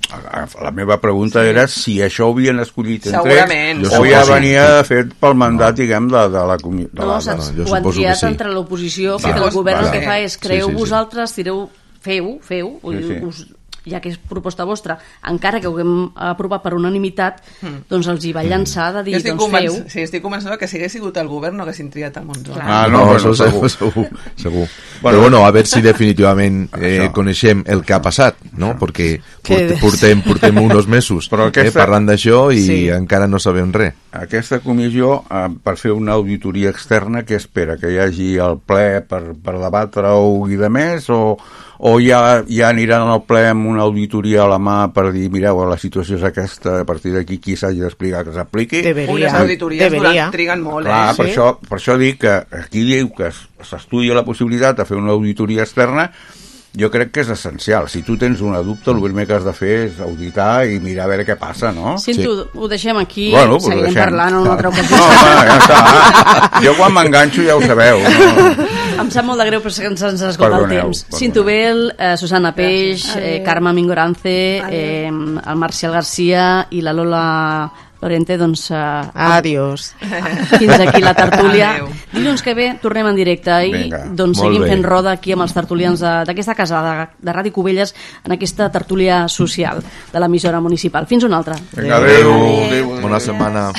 la meva pregunta sí. era si això ho havien escollit entre ells o ja venia fet pel mandat, no. diguem, de, de la comissió. No, saps, no, ho han triat sí. entre l'oposició, perquè el govern vale. el que fa és creeu sí, sí, vosaltres, tireu, feu, feu, sí, sí. us ja que és proposta vostra, encara que ho haguem aprovat per unanimitat, mm. doncs els hi va llançar de dir, doncs feu. Sí, estic convençuda que si hagués sigut el govern no haguessin triat el Monzó. Ah, no, no, no segur, segur, segur. Bueno, però bueno, a veure si definitivament eh, coneixem el que ha passat, no? Perquè portem, portem, portem uns mesos aquesta... eh, parlant d'això i sí. encara no sabem res. Aquesta comissió, eh, per fer una auditoria externa, què espera? Que hi hagi el ple per, per debatre-ho i de més, o... o ja, ja aniran al ple amb una auditoria a la mà per dir, mireu, la situació és aquesta, a partir d'aquí qui s'hagi d'explicar que s'apliqui. Deberia. Les auditories durant, triguen molt, Clar, eh? Per, sí? això, per això dic que aquí diu que s'estudia la possibilitat de fer una auditoria externa. Jo crec que és essencial. Si tu tens una dubte, el primer que has de fer és auditar i mirar a veure què passa, no? Sento, sí. ho deixem aquí, bueno, seguirem deixem. parlant en una altra ocasió. No, home, ja està. Jo quan m'enganxo ja ho sabeu. No? Em sap molt de greu, però que ens has esgotat el temps. Cinto Bel, eh, Susana Peix, eh, Carme Mingorance, eh, el Marcial Garcia i la Lola Lorente, doncs... Uh, Adiós. Fins aquí la tertúlia. Dilluns que ve tornem en directe i Vinga, doncs seguim fent roda aquí amb els tertulians d'aquesta casa de, de Ràdio Cubelles en aquesta tertúlia social de l'emissora municipal. Fins una altra. Vinga, adéu. adéu. Bona setmana.